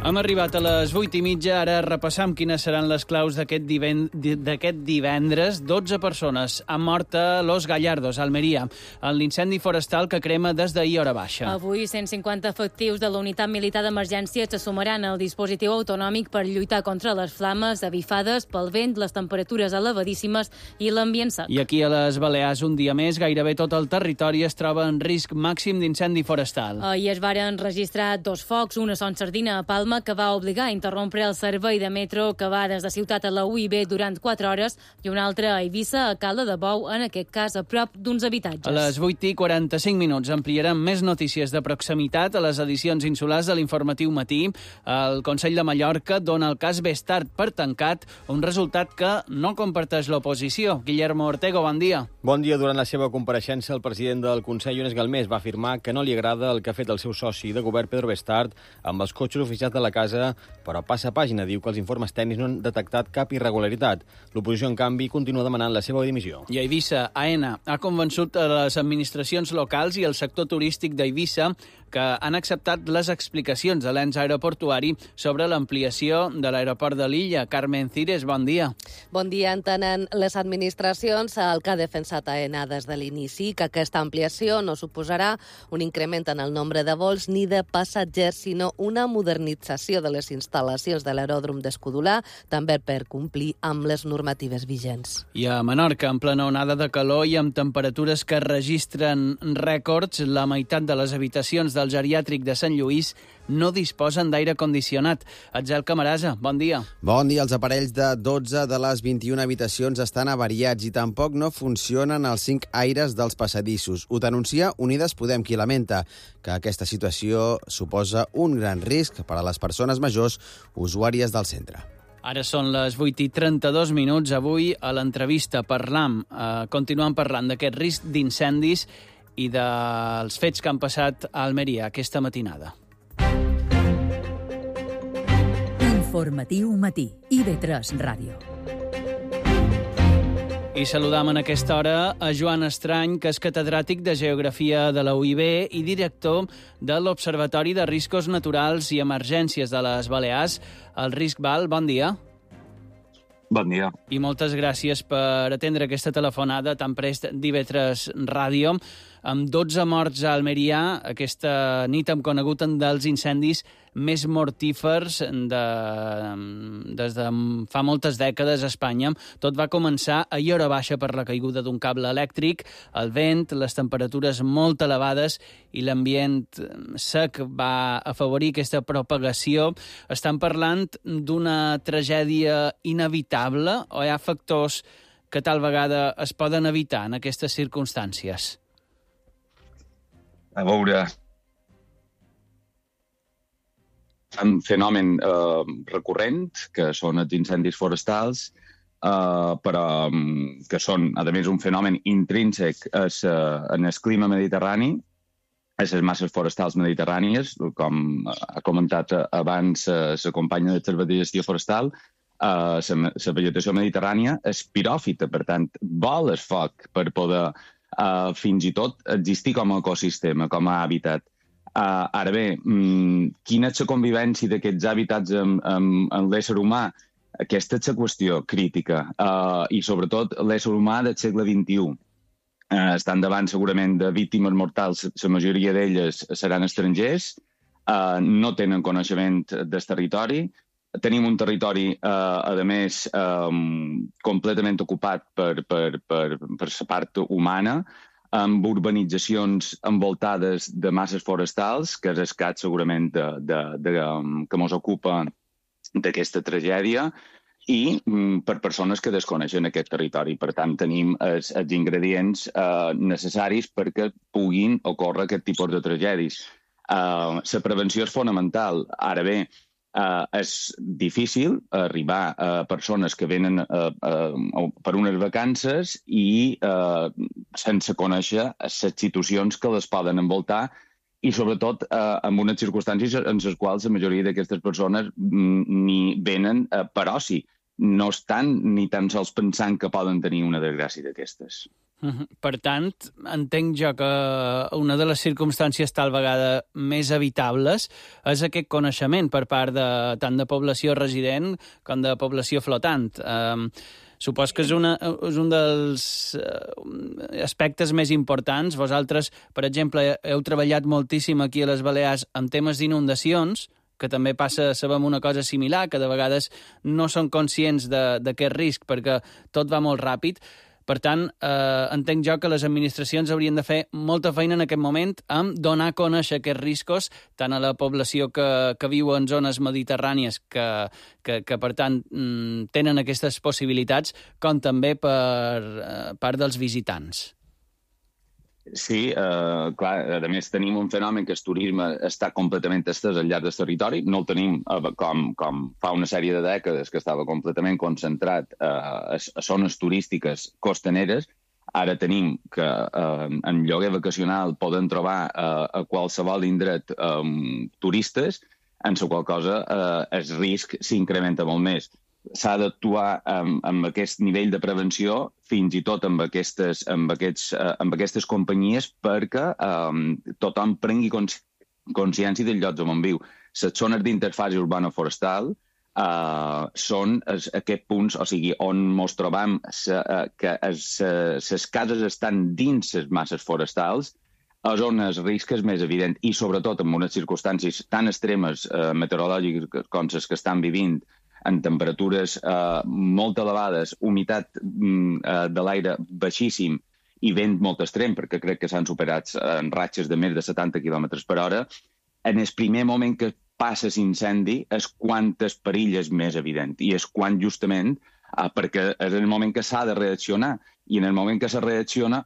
Hem arribat a les 8:30, ara repassam quines seran les claus d'aquest divendres. 12 persones han mort a Los Gallardos, a Almeria, en l'incendi forestal que crema des d'ahir hora baixa. Avui, 150 efectius de la Unitat Militar d'Emergència se sumaran al dispositiu autonòmic per lluitar contra les flames avifades pel vent, les temperatures elevadíssimes i l'ambient sec. I aquí a les Balears, un dia més, gairebé tot el territori es troba en risc màxim d'incendi forestal. Ahir es varen registrar 2 focs, una a Son Sardina, a Palma, que va obligar a interrompre el servei de metro que va des de Ciutat a la UIB durant 4 hores i un altre a Eivissa, a Cala de Bou, en aquest cas a prop d'uns habitatges. A les 8:45 ampliarem més notícies de proximitat a les edicions insulars de l'informatiu matí. El Consell de Mallorca dona el cas Bestart per tancat, un resultat que no comparteix l'oposició. Guillermo Ortego, bon dia. Bon dia. Durant la seva compareixença, el president del Consell, Jones Galmés, va afirmar que no li agrada el que ha fet el seu soci de govern, Pedro Bestart, amb els cotxes oficials de la casa, però passa pàgina. Diu que els informes tècnics no han detectat cap irregularitat. L'oposició, en canvi, continua demanant la seva dimissió. I a Eivissa, AENA ha convençut a les administracions locals i el sector turístic d'Eivissa que han acceptat les explicacions de l'ens aeroportuari sobre l'ampliació de l'aeroport de l'illa. Carmen Cires, bon dia. Bon dia. Entenen les administracions el que ha defensat AENA des de l'inici, que aquesta ampliació no suposarà un increment en el nombre de vols ni de passatgers, sinó una modernització de les instal·lacions de l'aeròdrom d'Escudolà, també per complir amb les normatives vigents. I a Menorca, en plena onada de calor i amb temperatures que registren rècords, la meitat de les habitacions del geriàtric de Sant Lluís no disposen d'aire condicionat. Atzel Camarasa, bon dia. Bon dia. Els aparells de 12 de les 21 habitacions estan avariats i tampoc no funcionen els 5 aires dels passadissos. Ho denuncia Unides Podem, qui lamenta que aquesta situació suposa un gran risc per a les persones majors usuàries del centre. Ara són les 8:32. Avui, a l'entrevista, continuem parlant d'aquest risc d'incendis i dels fets que han passat a Almeria aquesta matinada. Informatiu matí. IB3 Ràdio. I saludam en aquesta hora a Joan Estrany, que és catedràtic de Geografia de la UIB i director de l'Observatori de Riscos Naturals i Emergències de les Balears, el RISC-BAL. Bon dia. Bon dia. I moltes gràcies per atendre aquesta telefonada tan prest d'IB3 Ràdio. Amb 12 morts a Almeria, aquesta nit hem conegut un dels incendis més mortífers des de fa moltes dècades a Espanya. Tot va començar ahir hora baixa per la caiguda d'un cable elèctric, el vent, les temperatures molt elevades i l'ambient sec va afavorir aquesta propagació. Estan parlant d'una tragèdia inevitable o hi ha factors que tal vegada es poden evitar en aquestes circumstàncies? A veure, un fenomen recurrent, que són els incendis forestals, però que són, a més, un fenomen intrínsec en el clima mediterrani, a les masses forestals mediterrànies, com ha comentat abans la companya de Servei de Gestió Forestal, la vegetació mediterrània és piròfita, per tant, vol el foc per poder fins i tot existir com a ecosistema, com a hàbitat. Ara bé, quina és la convivència d'aquests hàbitats amb l'ésser humà? Aquesta és la qüestió crítica, i sobretot l'ésser humà del segle XXI. Estan davant segurament de víctimes mortals, la majoria d'elles seran estrangers, no tenen coneixement del territori, tenim un territori, a més, completament ocupat per la part humana, amb urbanitzacions envoltades de masses forestals, que és el cas segurament que ens ocupa d'aquesta tragèdia, i per persones que desconeixen aquest territori. Per tant, tenim els ingredients necessaris perquè puguin ocórrer aquest tipus de tragèdies. La prevenció és fonamental. Ara bé, és difícil arribar a persones que venen per unes vacances i sense conèixer les situacions que les poden envoltar i, sobretot, en unes circumstàncies en les quals la majoria d'aquestes persones ni venen per oci. No estan ni tan sols pensant que poden tenir una desgràcia d'aquestes. Per tant, entenc jo que una de les circumstàncies tal vegada més evitables és aquest coneixement per part tant de població resident com de població flotant. Supos que és un dels aspectes més importants. Vosaltres, per exemple, heu treballat moltíssim aquí a les Balears en temes d'inundacions, que també passa, sabem una cosa similar, que de vegades no són conscients d'aquest risc perquè tot va molt ràpid. Per tant, entenc jo que les administracions haurien de fer molta feina en aquest moment amb donar a conèixer aquests riscos tant a la població que viu en zones mediterrànies que per tant, tenen aquestes possibilitats, com també per part dels visitants. Sí, clar, a més tenim un fenomen que el turisme està completament estès al llarg del territori. No el tenim com fa una sèrie de dècades que estava completament concentrat a zones turístiques costaneres. Ara tenim que en lloguer vacacional poden trobar a qualsevol indret turistes, en la qual cosa el risc s'incrementa molt més. S'ha d'actuar amb aquest nivell de prevenció, fins i tot amb aquestes companyies, perquè tothom prengui consciència del lloc on viu. Les zones d'interfàcia urbana-forestal són aquests punts, o sigui, on ens trobam que les cases estan dins les masses forestals, és on el risc és més evident, i sobretot en unes circumstàncies tan extremes meteorològiques com les que estan vivint, en temperatures molt elevades, humitat de l'aire baixíssim i vent molt extrem, perquè crec que s'han superat en ratxes de més de 70 km per hora, en el primer moment que passa l'incendi és quan el perill és més evident. I és quan justament, perquè és el moment que s'ha de reaccionar, i en el moment que se reacciona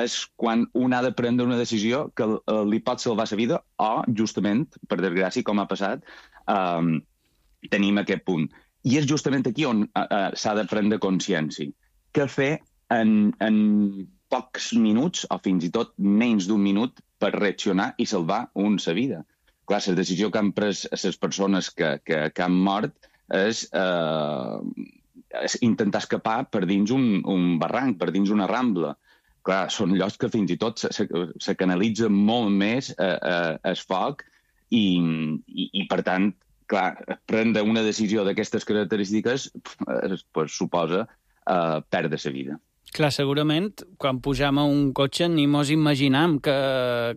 és quan un ha de prendre una decisió que li pot salvar la vida o, justament, per desgràcia, com ha passat, tenim aquest punt. I és justament aquí on s'ha de prendre consciència. Què fer en pocs minuts, o fins i tot menys d'un minut, per reaccionar i salvar una vida? Clar, la decisió que han pres les persones que han mort és intentar escapar per dins un barranc, per dins una rambla. Clar, són llocs que fins i tot se canalitza molt més el foc i per tant, clar, prendre una decisió d'aquestes característiques suposa perdre la vida. Clar, segurament, quan pujam a un cotxe ni mos imaginam que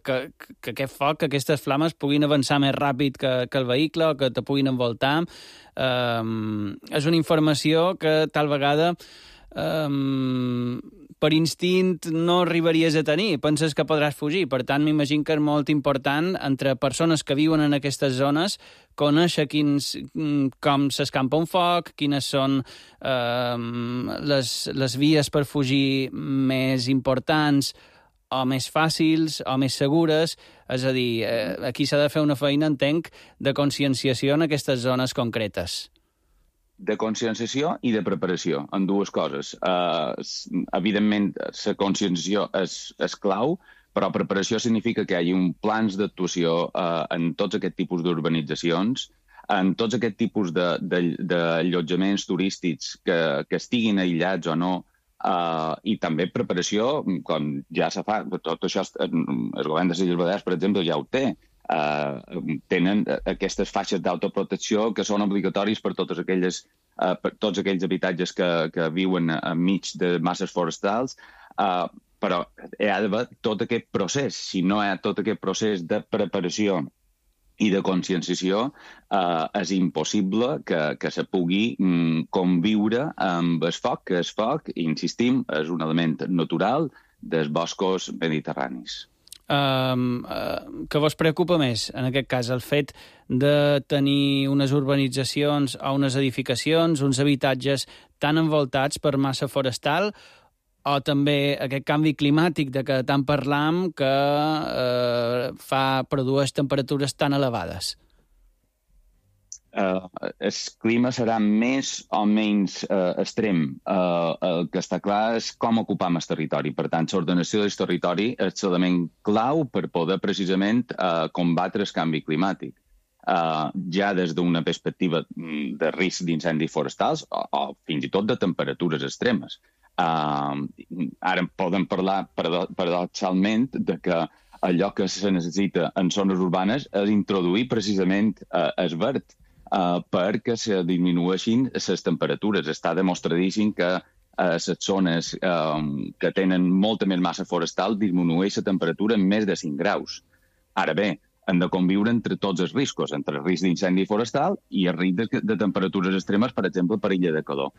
aquest foc, que aquestes flames puguin avançar més ràpid que el vehicle o que te puguin envoltar. És una informació que tal vegada per instint no arribaries a tenir, penses que podràs fugir. Per tant, m'imagino que és molt important, entre persones que viuen en aquestes zones, conèixer com s'escampa un foc, quines són les vies per fugir més importants o més fàcils o més segures. És a dir, aquí s'ha de fer una feina, entenc, de conscienciació en aquestes zones concretes. de conscienciació i de preparació, en dues coses. Evidentment, la conscienciació és clau, però preparació significa que hi hagi un plans d'actuació en tots aquests tipus d'urbanitzacions, en tots aquests tipus d'allotjaments turístics que estiguin aïllats o no, i també preparació, com ja se fa, tot això el govern de les Illes Balears, per exemple, ja ho té. Tenen aquestes faixes d'autoprotecció que són obligatoris per tots aquells habitatges que viuen enmig de masses forestals, però hi ha d'haver tot aquest procés. Si no hi ha tot aquest procés de preparació i de conscienciació, és impossible que se pugui conviure amb el foc, que el foc, insistim, és un element natural dels boscos mediterranis. Què vos preocupa més, en aquest cas, el fet de tenir unes urbanitzacions o unes edificacions, uns habitatges tan envoltats per massa forestal, o també aquest canvi climàtic de què tant parlam que produeix temperatures tan elevades? El clima serà més o menys extrem. El que està clar és com ocupam el territori. Per tant, l'ordenació del territori és l'element clau per poder precisament combatre el canvi climàtic. Ja des d'una perspectiva de risc d'incendis forestals o fins i tot de temperatures extremes. Ara podem parlar paradoxalment de que allò que se necessita en zones urbanes és introduir precisament el verd, perquè se disminueixin les temperatures. Està demostradíssim que les zones que tenen molta més massa forestal disminueix la temperatura en més de 5 graus. Ara bé, hem de conviure entre tots els riscos, entre el risc d'incendi forestal i el risc de temperatures extremes, per exemple, per illa de calor.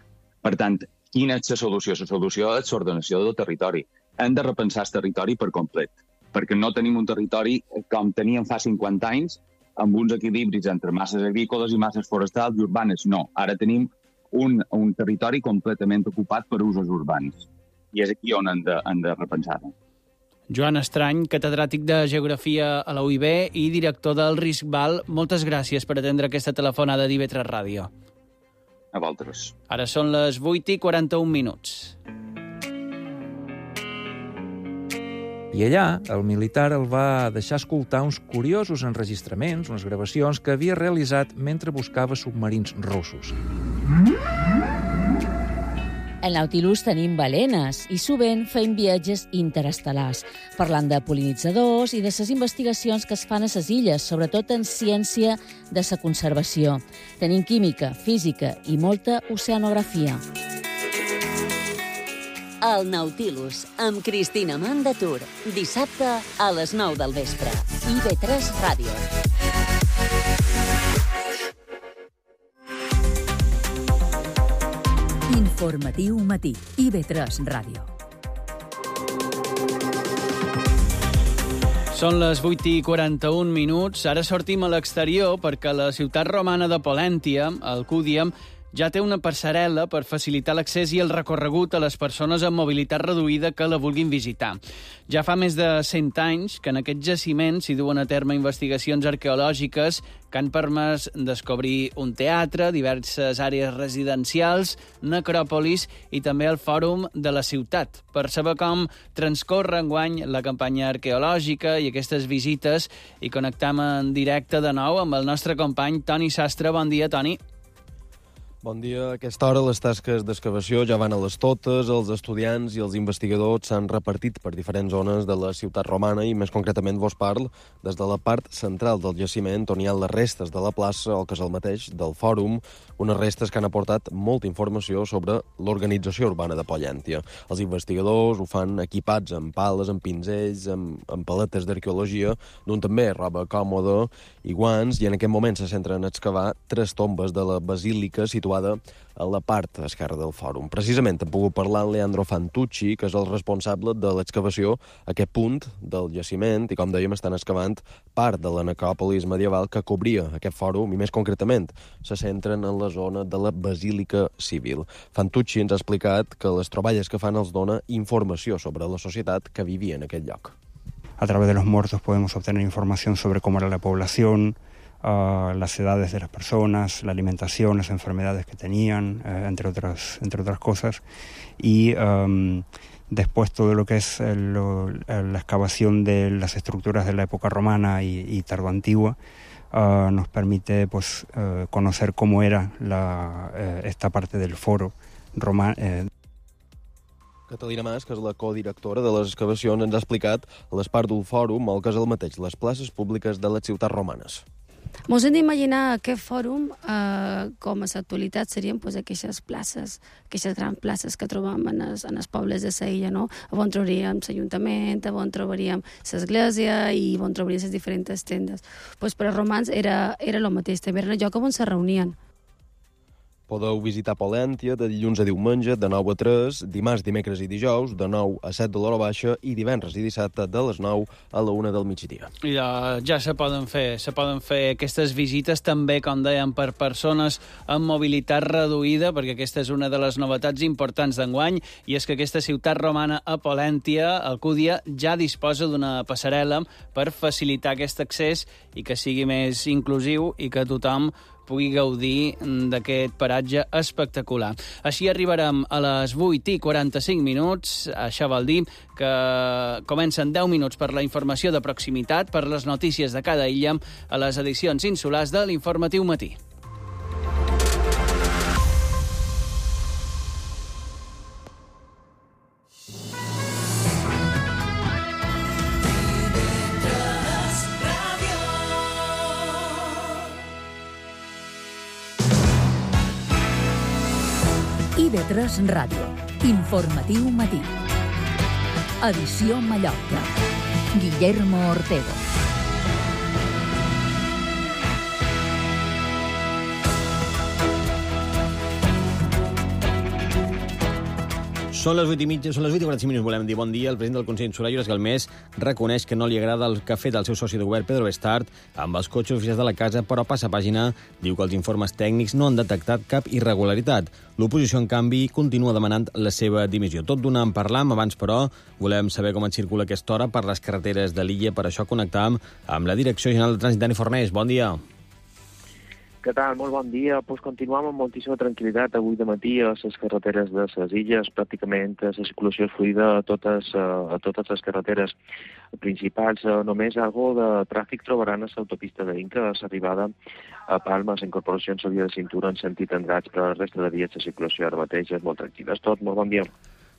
Per tant, quina és la solució? La solució és l'ordenació del territori. Hem de repensar el territori per complet, perquè no tenim un territori com teníem fa 50 anys, amb uns equilibris entre masses agrícoles i masses forestals i urbanes. No, ara tenim un territori completament ocupat per usos urbans. I és aquí on hem de repensar-ho. Joan Estrany, catedràtic de Geografia a la UIB i director del RISCVAL, moltes gràcies per atendre aquesta telefonada d'IV3 Ràdio. A vosaltres. Ara són les 8:41. I allà, el militar el va deixar escoltar uns curiosos enregistraments, unes gravacions que havia realitzat mentre buscava submarins russos. Al Nautilus tenim balenes i sovint feim viatges interestel·lars, parlant de pol·linitzadors i de les investigacions que es fan a les illes, sobretot en ciència de la conservació. Tenim química, física i molta oceanografia. El Nautilus, amb Cristina Mandatur. Dissabte a les 9 del vespre. IV3 Ràdio. Informatiu matí. IV3 Ràdio. Són les 8:41. Ara sortim a l'exterior perquè la ciutat romana de Polèntia, al Cúdiam, ja té una passarel·la per facilitar l'accés i el recorregut a les persones amb mobilitat reduïda que la vulguin visitar. Ja fa més de 100 anys que en aquest jaciment s'hi duen a terme investigacions arqueològiques que han permès descobrir un teatre, diverses àrees residencials, necròpolis i també el fòrum de la ciutat. Per saber com transcorre enguany la campanya arqueològica i aquestes visites, i connectam en directe de nou amb el nostre company Toni Sastre. Bon dia, Toni. Bon dia. A aquesta hora les tasques d'excavació ja van a les totes. Els estudiants i els investigadors s'han repartit per diferents zones de la ciutat romana i més concretament vos parlo des de la part central del jaciment on hi ha les restes de la plaça o que és el mateix del fòrum, unes restes que han aportat molta informació sobre l'organització urbana de Polèntia. Els investigadors ho fan equipats amb pales, amb pinzells, amb paletes d'arqueologia, d'un també roba còmoda i guants, i en aquest moment se centren a excavar 3 tombes de la basílica situada a la part esquerra del fòrum. Precisament hem pogut parlar amb Leandro Fantucci, que és el responsable de l'excavació a aquest punt del jaciment, i com dèiem estan excavant part de la necròpolis medieval que cobria aquest fòrum, i més concretament se centren en la zona de la basílica civil. Fantucci ens ha explicat que les troballes que fan els dona informació sobre la societat que vivia en aquest lloc. A través de los muertos podemos obtener información sobre cómo era la población, las edades de las personas, la alimentación, las enfermedades que tenían, entre otras cosas. Y después todo lo que es la excavación de las estructuras de la época romana y tardoantigua nos permite pues, conocer cómo era esta parte del foro romano. Catalina Mas, que és la codirectora de les excavacions, ens ha explicat l'Espart del Fòrum, el que és el mateix, les places públiques de les ciutats romanes. Mos hem d'imaginar aquest fòrum com a l'actualitat serien aquestes places, aquestes grans places que trobem en els pobles de l'illa, no? On trobaríem l'Ajuntament, on trobaríem l'església i on trobaríem les diferents tendes. Per als romans era el mateix, també era el lloc on se reunien. Podeu visitar Polèntia de dilluns a diumenge de 9 a 3, dimarts, dimecres i dijous de 9 a 7 de l'hora baixa i divendres i dissabte de les 9 a la 1 del migdia. Ja se poden fer aquestes visites també, com dèiem, per persones amb mobilitat reduïda, perquè aquesta és una de les novetats importants d'enguany, i és que aquesta ciutat romana a Polèntia, Alcúdia, ja disposa d'una passarel·la per facilitar aquest accés i que sigui més inclusiu i que tothom pugui gaudir d'aquest paratge espectacular. Així arribarem a les 8:45. Això vol dir que comencen 10 minuts per la informació de proximitat, per les notícies de cada illa, a les edicions insulars de l'Informatiu Matí. IB3 Ràdio. Informatiu Matí. Edició Mallorca. Guillermo Ortego. Són les 8:45, volem dir bon dia. El president del Consell Insular, Llorenç Galmés, reconeix que no li agrada el que ha fet el seu soci de govern, Pedro Bestart, amb els cotxes oficials de la casa, però passa pàgina, diu que els informes tècnics no han detectat cap irregularitat. L'oposició, en canvi, continua demanant la seva dimissió. Tot d'una en parlam, abans, però, volem saber com et circula aquesta hora per les carreteres de l'illa. Per això connectam amb la Direcció General de Trànsit, Dani Fornés. Bon dia. Què tal? Molt bon dia. Pues continuem amb moltíssima tranquil·litat avui de matí a les carreteres de les illes. Pràcticament la circulació és fluida a totes les carreteres principals. Només algo de tràfic trobaran a l'autopista d'Inca, a l'arribada a Palma, la incorporació en la via de cintura en sentit Andratx, però la resta de vies de circulació ara mateix és molt tranquil·la. És tot. Molt bon dia.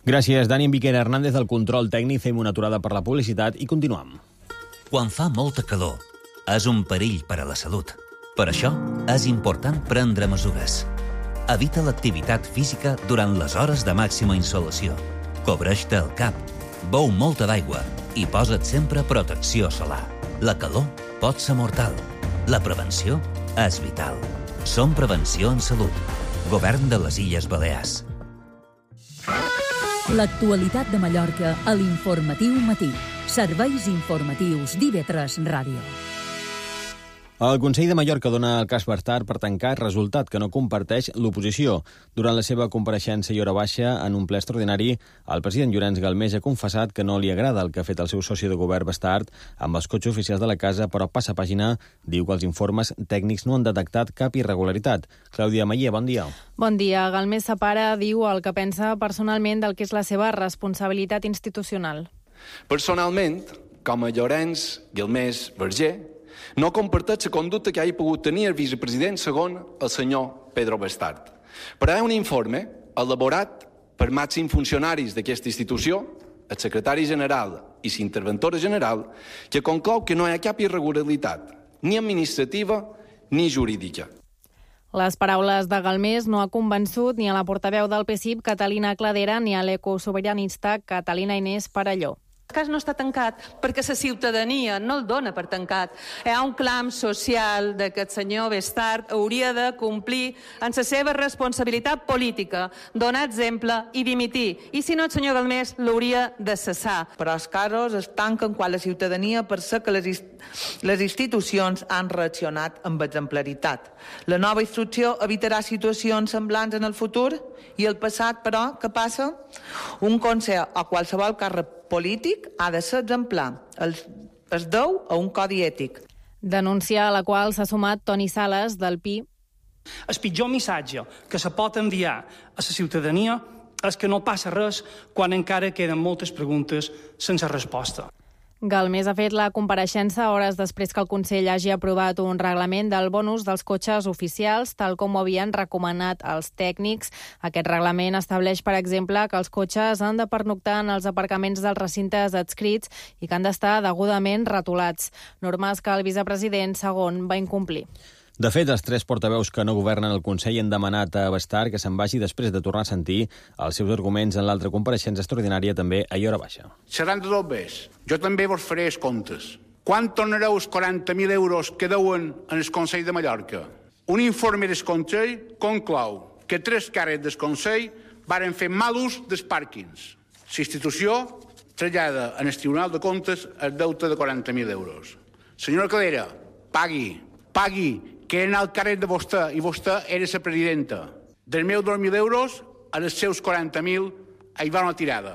Gràcies, Dani. En Viquera Hernández, del control tècnic. Fem una aturada per la publicitat i continuem. Quan fa molta calor, és un perill per a la salut. Per això, és important prendre mesures. Evita l'activitat física durant les hores de màxima insolació. Cobreix-te el cap, beu molta d'aigua i posa't sempre protecció solar. La calor pot ser mortal. La prevenció és vital. Som Prevenció en Salut. Govern de les Illes Balears. L'actualitat de Mallorca a l'Informatiu Matí. Serveis informatius d'IB3 Ràdio. El Consell de Mallorca dona el cas Bestart per tancar, resultat que no comparteix l'oposició. Durant la seva compareixença i hora baixa en un ple extraordinari, el president Llorenç Galmés ha confessat que no li agrada el que ha fet el seu soci de govern Bestart amb els cotxes oficials de la casa, però passa pàgina, diu que els informes tècnics no han detectat cap irregularitat. Clàudia Maier, bon dia. Bon dia. Galmés separa, diu, el que pensa personalment del que és la seva responsabilitat institucional. Personalment, com a Llorenç Galmés Verger, no comparteix la conducta que hagi pogut tenir el vicepresident segon el senyor Pedro Bestart. Però hi ha un informe elaborat per màxims funcionaris d'aquesta institució, el secretari general i l'interventora general, que conclou que no hi ha cap irregularitat, ni administrativa ni jurídica. Les paraules de Galmés no ha convençut ni a la portaveu del PSIP, Catalina Cladera, ni a l'ecosobiranista Catalina Inés Parelló. El cas no està tancat perquè la ciutadania no el dona per tancat. Hi ha un clam social de que el senyor Bestart hauria de complir en la seva responsabilitat política, donar exemple i dimitir. I si no, el senyor Galmés l'hauria de cessar. Però els casos es tanquen quan la ciutadania percep que les institucions han reaccionat amb exemplaritat. La nova instrucció evitarà situacions semblants en el futur i el passat, però, què passa? Un consell o qualsevol càrrec polític ha de ser exemplar. Es deu a un codi ètic. Denúncia a la qual s'ha sumat Toni Sales, del PI. El pitjor missatge que se pot enviar a la ciutadania és que no passa res quan encara queden moltes preguntes sense resposta. Galmés ha fet la compareixença hores després que el Consell hagi aprovat un reglament del bonus dels cotxes oficials, tal com ho havien recomanat els tècnics. Aquest reglament estableix, per exemple, que els cotxes han de pernoctar en els aparcaments dels recintes adscrits i que han d'estar degudament rotulats. Normes que el vicepresident segon va incomplir. De fet, els 3 portaveus que no governen el Consell han demanat a Bestart que se'n vagi després de tornar a sentir els seus arguments en l'altra compareixença extraordinària també a hora baixa. Seran de dos bés. Jo també vos faré els comptes. Quan tornareu els 40.000 euros que deuen en el Consell de Mallorca? Un informe del Consell conclou que 3 càrrecs del Consell varen fer mal ús dels pàrquings. La institució trasllada en el Tribunal de Comptes el deute de 40.000 euros. Senyora Calera, pagui, que era el càrrec de vostè, i vostè era la presidenta. Dels meus 2.000 euros, als seus 40.000, hi va una tirada.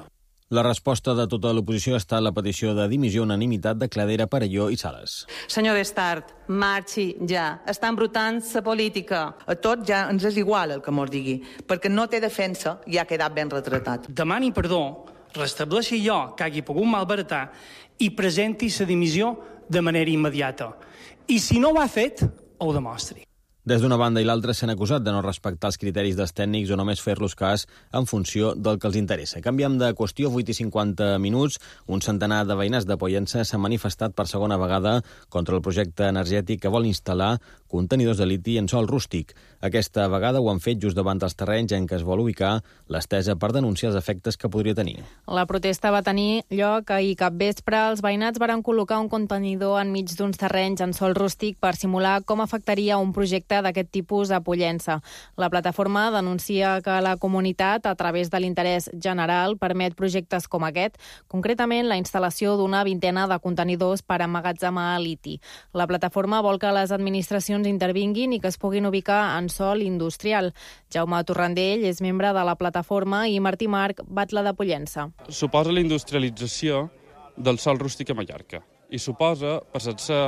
La resposta de tota l'oposició ha estat la petició de dimissió unanimitat de Cladera, Parelló i Sales. Senyor Bestart, marxi ja. Està embrutant la política. A tots ja ens és igual el que mos digui, perquè no té defensa i ha quedat ben retratat. Demani perdó, restableixi allò que hagi pogut malbaratar i presenti la dimissió de manera immediata. I si no ho ha fet, ho demostri. Des d'una banda i l'altra s'han acusat de no respectar els criteris dels tècnics o només fer-los cas en funció del que els interessa. Canviem de qüestió, 8:50 minuts. Un centenar de veïnats de Pollença s'han manifestat per segona vegada contra el projecte energètic que vol instal·lar contenidors de liti en sòl rústic. Aquesta vegada ho han fet just davant dels terrenys en què es vol ubicar l'estesa per denunciar els efectes que podria tenir. La protesta va tenir lloc ahir capvespre. Els veïnats van col·locar un contenidor enmig d'uns terrenys en sòl rústic per simular com afectaria un projecte d'aquest tipus a Pollença. La plataforma denuncia que la comunitat, a través de l'interès general, permet projectes com aquest, concretament la instal·lació d'una vintena de contenidors per emmagatzemar liti. La plataforma vol que les administracions intervinguin i que es puguin ubicar en sòl industrial. Jaume Torrandell és membre de la plataforma i Martí Marc, batlle de Pollença. Suposa la industrialització del sòl rústic a Mallorca i suposa passar-se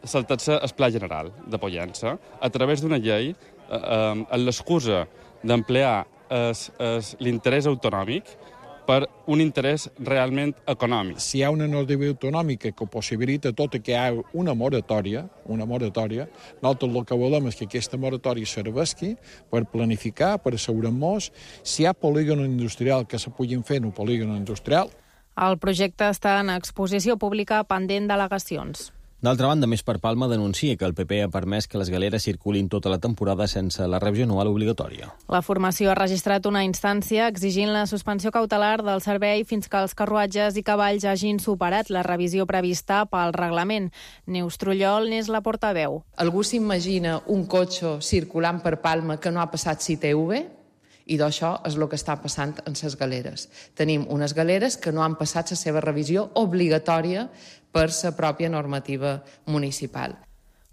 saltar-se el Pla General de Pollença a través d'una llei amb l'excusa d'emplear l'interès autonòmic per un interès realment econòmic. Si hi ha una normativa autonòmica que possibilita tot que hi ha una moratòria, nosaltres el que volem és que aquesta moratòria serveixi per planificar, per assegurar-nos si hi ha polígon industrial que se puguin fer en un polígon industrial. El projecte està en exposició pública pendent d'al·legacions. D'altra banda, Més per Palma denuncia que el PP ha permès que les galeres circulin tota la temporada sense la revisió anual obligatòria. La formació ha registrat una instància exigint la suspensió cautelar del servei fins que els carruatges i cavalls hagin superat la revisió prevista pel reglament. Neus Trullol n'és la portaveu. Algú s'imagina un cotxe circulant per Palma que no ha passat CTV? I d'això és el que està passant en les galeres. Tenim unes galeres que no han passat la seva revisió obligatòria per la pròpia normativa municipal.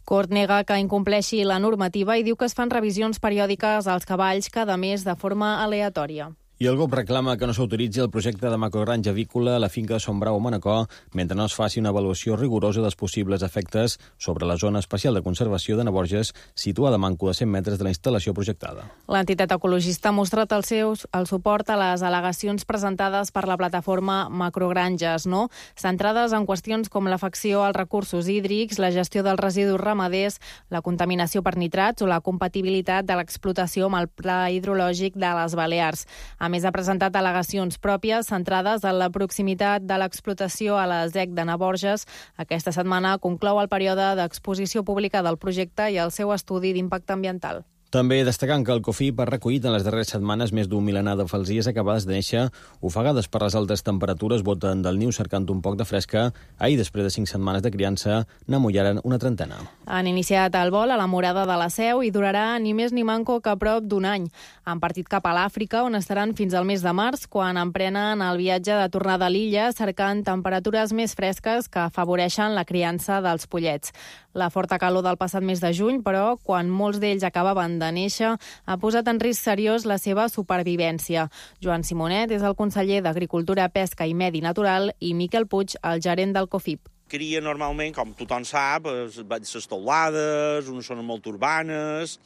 Cort nega que incompleixi la normativa i diu que es fan revisions periòdiques als cavalls cada mes de forma aleatòria. I el GOP reclama que no s'autoritzi el projecte de macrogranja avícola a la finca de Son Brau a Manacor mentre no es faci una avaluació rigorosa dels possibles efectes sobre la zona especial de conservació de Naborges, situada a manco de 100 metres de la instal·lació projectada. L'entitat ecologista ha mostrat el suport a les al·legacions presentades per la plataforma Macrogranges, centrades en qüestions com l'afecció als recursos hídrics, la gestió dels residus ramaders, la contaminació per nitrats o la compatibilitat de l'explotació amb el pla hidrològic de les Balears. A més, ha presentat al·legacions pròpies centrades en la proximitat de l'explotació a la ZEC de Naborges. Aquesta setmana conclou el període d'exposició pública del projecte i el seu estudi d'impacte ambiental. També destacant que el COFIP ha recollit en les darreres setmanes més d'un milenar de falsies acabades de néixer, ofegades per les altes temperatures, boten del niu cercant un poc de fresca. Ahir, després de 5 setmanes de criança, n'amullaren una trentena. Han iniciat el vol a la Morada de la Seu i durarà ni més ni manco que prop d'un any. Han partit cap a l'Àfrica, on estaran fins al mes de març, quan emprenen el viatge de tornada a l'illa, cercant temperatures més fresques que afavoreixen la criança dels pollets. La forta calor del passat mes de juny, però, quan molts d'ells acabaven de néixer, ha posat en risc seriós la seva supervivència. Joan Simonet és el conseller d'Agricultura, Pesca i Medi Natural i Miquel Puig, el gerent del COFIP. Cria normalment, com tothom sap, les teulades, unes zones molt urbanes,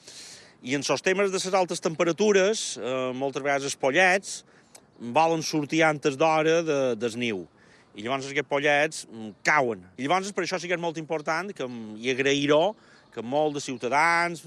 i en els temes de les altes temperatures, moltes vegades els pollets volen sortir antes d'hora del niu. I llavors aquests pollets cauen. I llavors per això sí que és molt important i agrair-ho que molts de ciutadans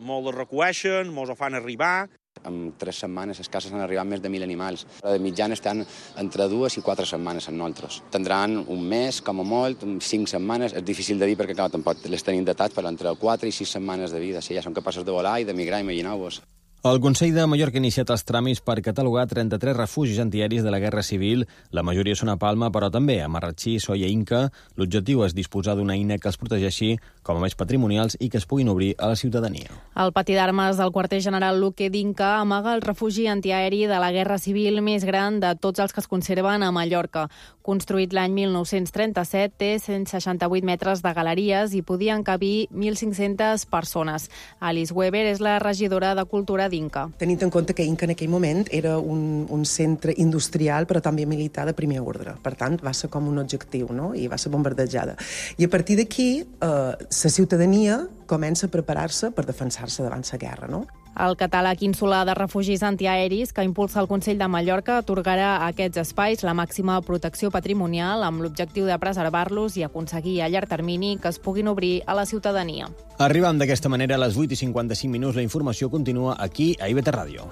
molt els recueixen, molts ho fan arribar. En 3 setmanes escasses han arribat més de 1.000 animals. De mitjana estan entre 2 i 4 setmanes amb nosaltres. Tindran un mes, com a molt, 5 setmanes. És difícil de dir perquè clar, tampoc les tenim datats, però entre 4 i 6 setmanes de vida. Si ja són capaços de volar i de migrar, imagineu-vos. El Consell de Mallorca ha iniciat els tràmits per catalogar 33 refugis antiaeris de la Guerra Civil. La majoria són a Palma, però també a Marratxí, Solla i Inca. L'objectiu és disposar d'una eina que els protegeixi com a béns patrimonials i que es puguin obrir a la ciutadania. El pati d'armes del quarter general Luque d'Inca amaga el refugi antiaeri de la Guerra Civil més gran de tots els que es conserven a Mallorca. Construït l'any 1937, té 168 metres de galeries i podien cabir 1.500 persones. Alice Weber és la regidora de Cultura d'Inca. Tenint en compte que Inca en aquell moment era un centre industrial però també militar de primer ordre. Per tant, va ser com un objectiu, no? I va ser bombardejada. I a partir d'aquí, la ciutadania comença a preparar-se per defensar-se davant la guerra, no? El catàleg insular de refugis antiaeris que impulsa el Consell de Mallorca atorgarà a aquests espais la màxima protecció patrimonial amb l'objectiu de preservar-los i aconseguir a llarg termini que es puguin obrir a la ciutadania. Arribam d'aquesta manera a les 8:55. La informació continua aquí a IBT Ràdio.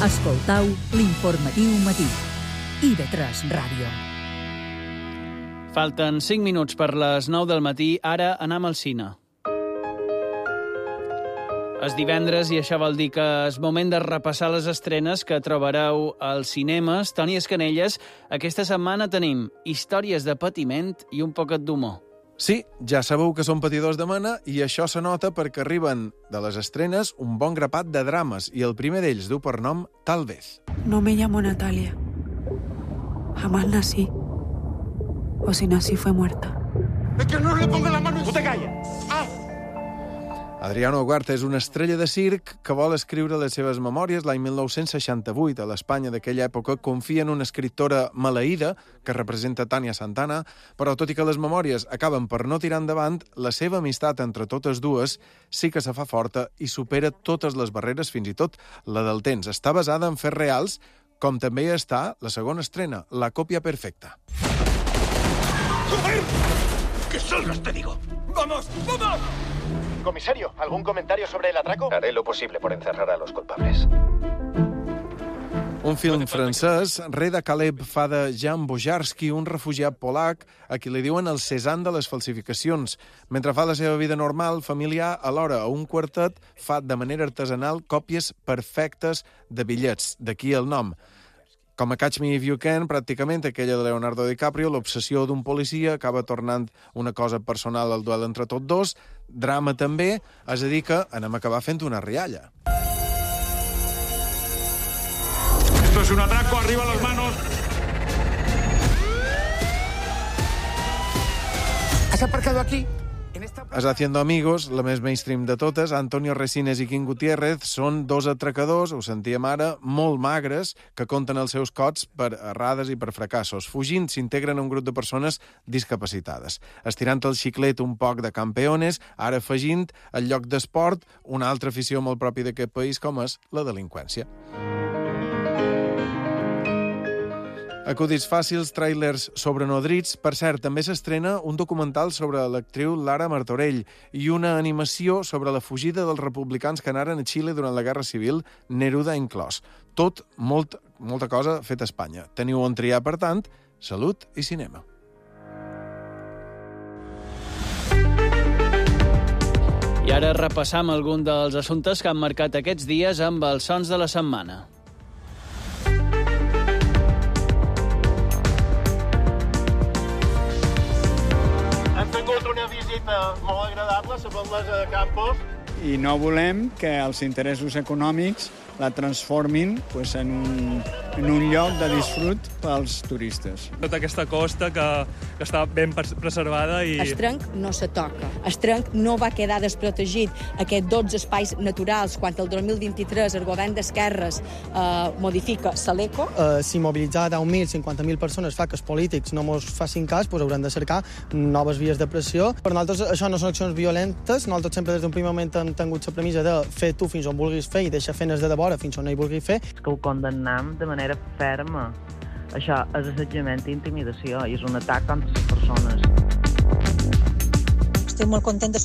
Escoltau l'informatiu matí. IB3 Ràdio. Falten 5 minuts per les 9 del matí. Ara anem al cine. És divendres i això vol dir que és moment de repassar les estrenes que trobareu als cinemes. Toni Escanelles, aquesta setmana tenim històries de patiment i un poquet d'humor. Sí, ja sabeu que són patidors de mena i això se nota perquè arriben de les estrenes un bon grapat de drames i el primer d'ells du per nom Tal vez. No me llamo Natalia. Jamás nací. O si nací fue muerta. ¡Es que no le ponga la mano! ¡No te calles! ¡Ah! Adriano Huerta és una estrella de circ que vol escriure les seves memòries. L'any 1968, a l'Espanya d'aquella època, confia en una escriptora maleïda que representa Tania Santana, però tot i que les memòries acaben per no tirar endavant, la seva amistat entre totes dues sí que se fa forta i supera totes les barreres, fins i tot la del temps. Està basada en fets reals, com també està la segona estrena, La còpia perfecta. ¡Joder! ¡Que salgas, te digo! ¡Vamos! ¡Vamos! Comisario, ¿algún comentario sobre el atraco? Haré lo posible por encerrar a los culpables. Un film francès, Re de Caleb fa de Jan Bojarski, un refugiat polac a qui li diuen el Cézanne de les falsificacions. Mentre fa la seva vida normal, familiar, alhora a un quartet fa de manera artesanal còpies perfectes de bitllets, d'aquí el nom. Com a Catch Me If You Can, pràcticament aquella de Leonardo DiCaprio, l'obsessió d'un policia acaba tornant una cosa personal al duel entre tots dos. Drama també, és a dir que anem a acabar fent una rialla. Esto es un atraco, arriba las manos. ¿Has aparcado aquí? Es Haciendo Amigos, la més mainstream de totes, Antonio Resines i Quim Gutiérrez són dos atracadors, ho sentíem ara, molt magres, que compten els seus cots per errades i per fracassos. Fugint, s'integren a un grup de persones discapacitades. Estirant el xiclet un poc de campeones, ara afegint, al lloc d'esport, una altra afició molt pròpia d'aquest país, com és la delinqüència. Acudits fàcils, tràilers sobrenodrits. Per cert, també s'estrena un documental sobre l'actriu Lara Martorell i una animació sobre la fugida dels republicans que anaren a Xile durant la Guerra Civil, Neruda inclòs. Tot, molta cosa feta a Espanya. Teniu on triar, per tant, salut i cinema. I ara repassam algun dels assumptes que han marcat aquests dies amb els sons de la setmana. Molt agradable, la batllessa de Campos. I no volem que els interessos econòmics la transformin en un en un lloc de disfrut pels turistes. Tota aquesta costa que està ben preservada i... El trenc no se toca. El trenc no va quedar desprotegit. Aquests 12 espais naturals, quan el 2023 el govern d'esquerres modifica l'ECO. Si mobilitzar 10.000, 50.000 persones fa que els polítics no mos facin cas, doncs haurem de cercar noves vies de pressió. Per nosaltres això no són accions violentes. Nosaltres sempre des d'un primer moment hem tingut la premissa de fer tu fins on vulguis fer i deixar feines de devora fins on no hi vulguis fer. Que ho condemnem de manera ferma. Això és assetjament i intimidació i és un atac contra les persones. Estic molt contenta.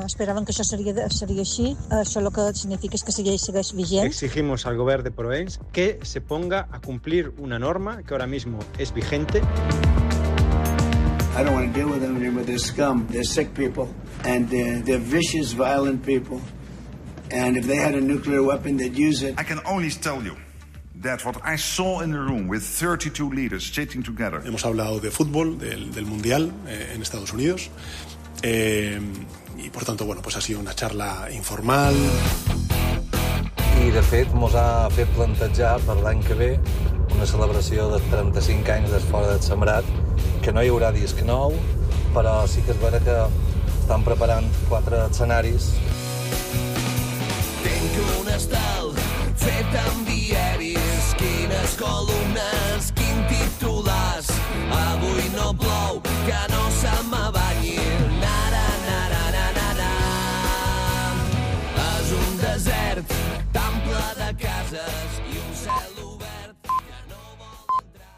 Esperaven que això seria així. Això lo que significa és que segueix vigent. Exigimos al gobierno de Provenç que se ponga a cumplir una norma que ahora mismo es vigente. I don't want to deal with them anymore. They're scum. They're sick people. And they're vicious, violent people. And if they had a nuclear weapon, they'd use it. I can only tell you that what I saw in the room with 32 leaders sitting together. Hemos hablado de fútbol, del Mundial en Estados Unidos. Y por tanto, bueno, pues ha sido una charla informal. I de fet mos ha fet plantejar per l'any que ve una celebració de 35 anys d'Esfora del Sembrat, que no hi haurà disc nou, però sí que és vera que estan preparant 4 escenaris. Tinc un estel fet amb diaris, quines columnes, quin titulars. Avui no plou, que no se m'abanyi. És un desert tan ple de cases i un cel obert que no vol entrar.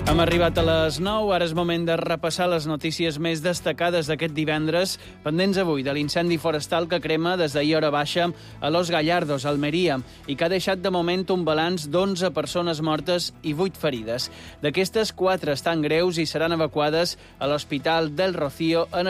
Hem arribat a les 9, ara és moment de repassar les notícies més destacades d'aquest divendres, pendents avui de l'incendi forestal que crema des d'ahir hora baixa a Los Gallardos, Almeria, i que ha deixat de moment un balanç d'11 persones mortes i 8 ferides. D'aquestes, 4 estan greus i seran evacuades a l'Hospital del Rocío en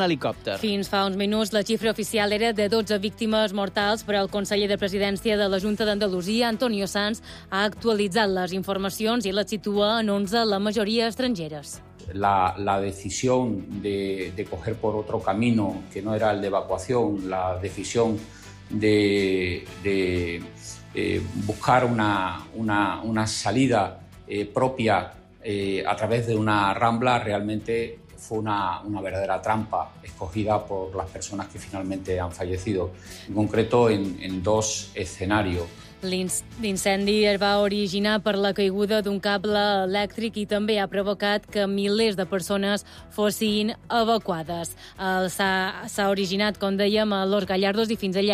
helicòpter. Fins fa uns minuts la xifra oficial era de 12 víctimes mortals, però el conseller de Presidència de la Junta d'Andalusia, Antonio Sanz, ha actualitzat les informacions i les situa en 11, la mayoría extranjeras. La decisión de coger por otro camino que no era el de evacuación, la decisión de buscar una salida propia a través de una rambla realmente fue una verdadera trampa escogida por las personas que finalmente han fallecido, en concreto en 2 escenarios. L'incendi es va originar per la caiguda d'un cable elèctric i també ha provocat que milers de persones fossin evacuades. S'ha originat, com dèiem, a Los Gallardos i fins allà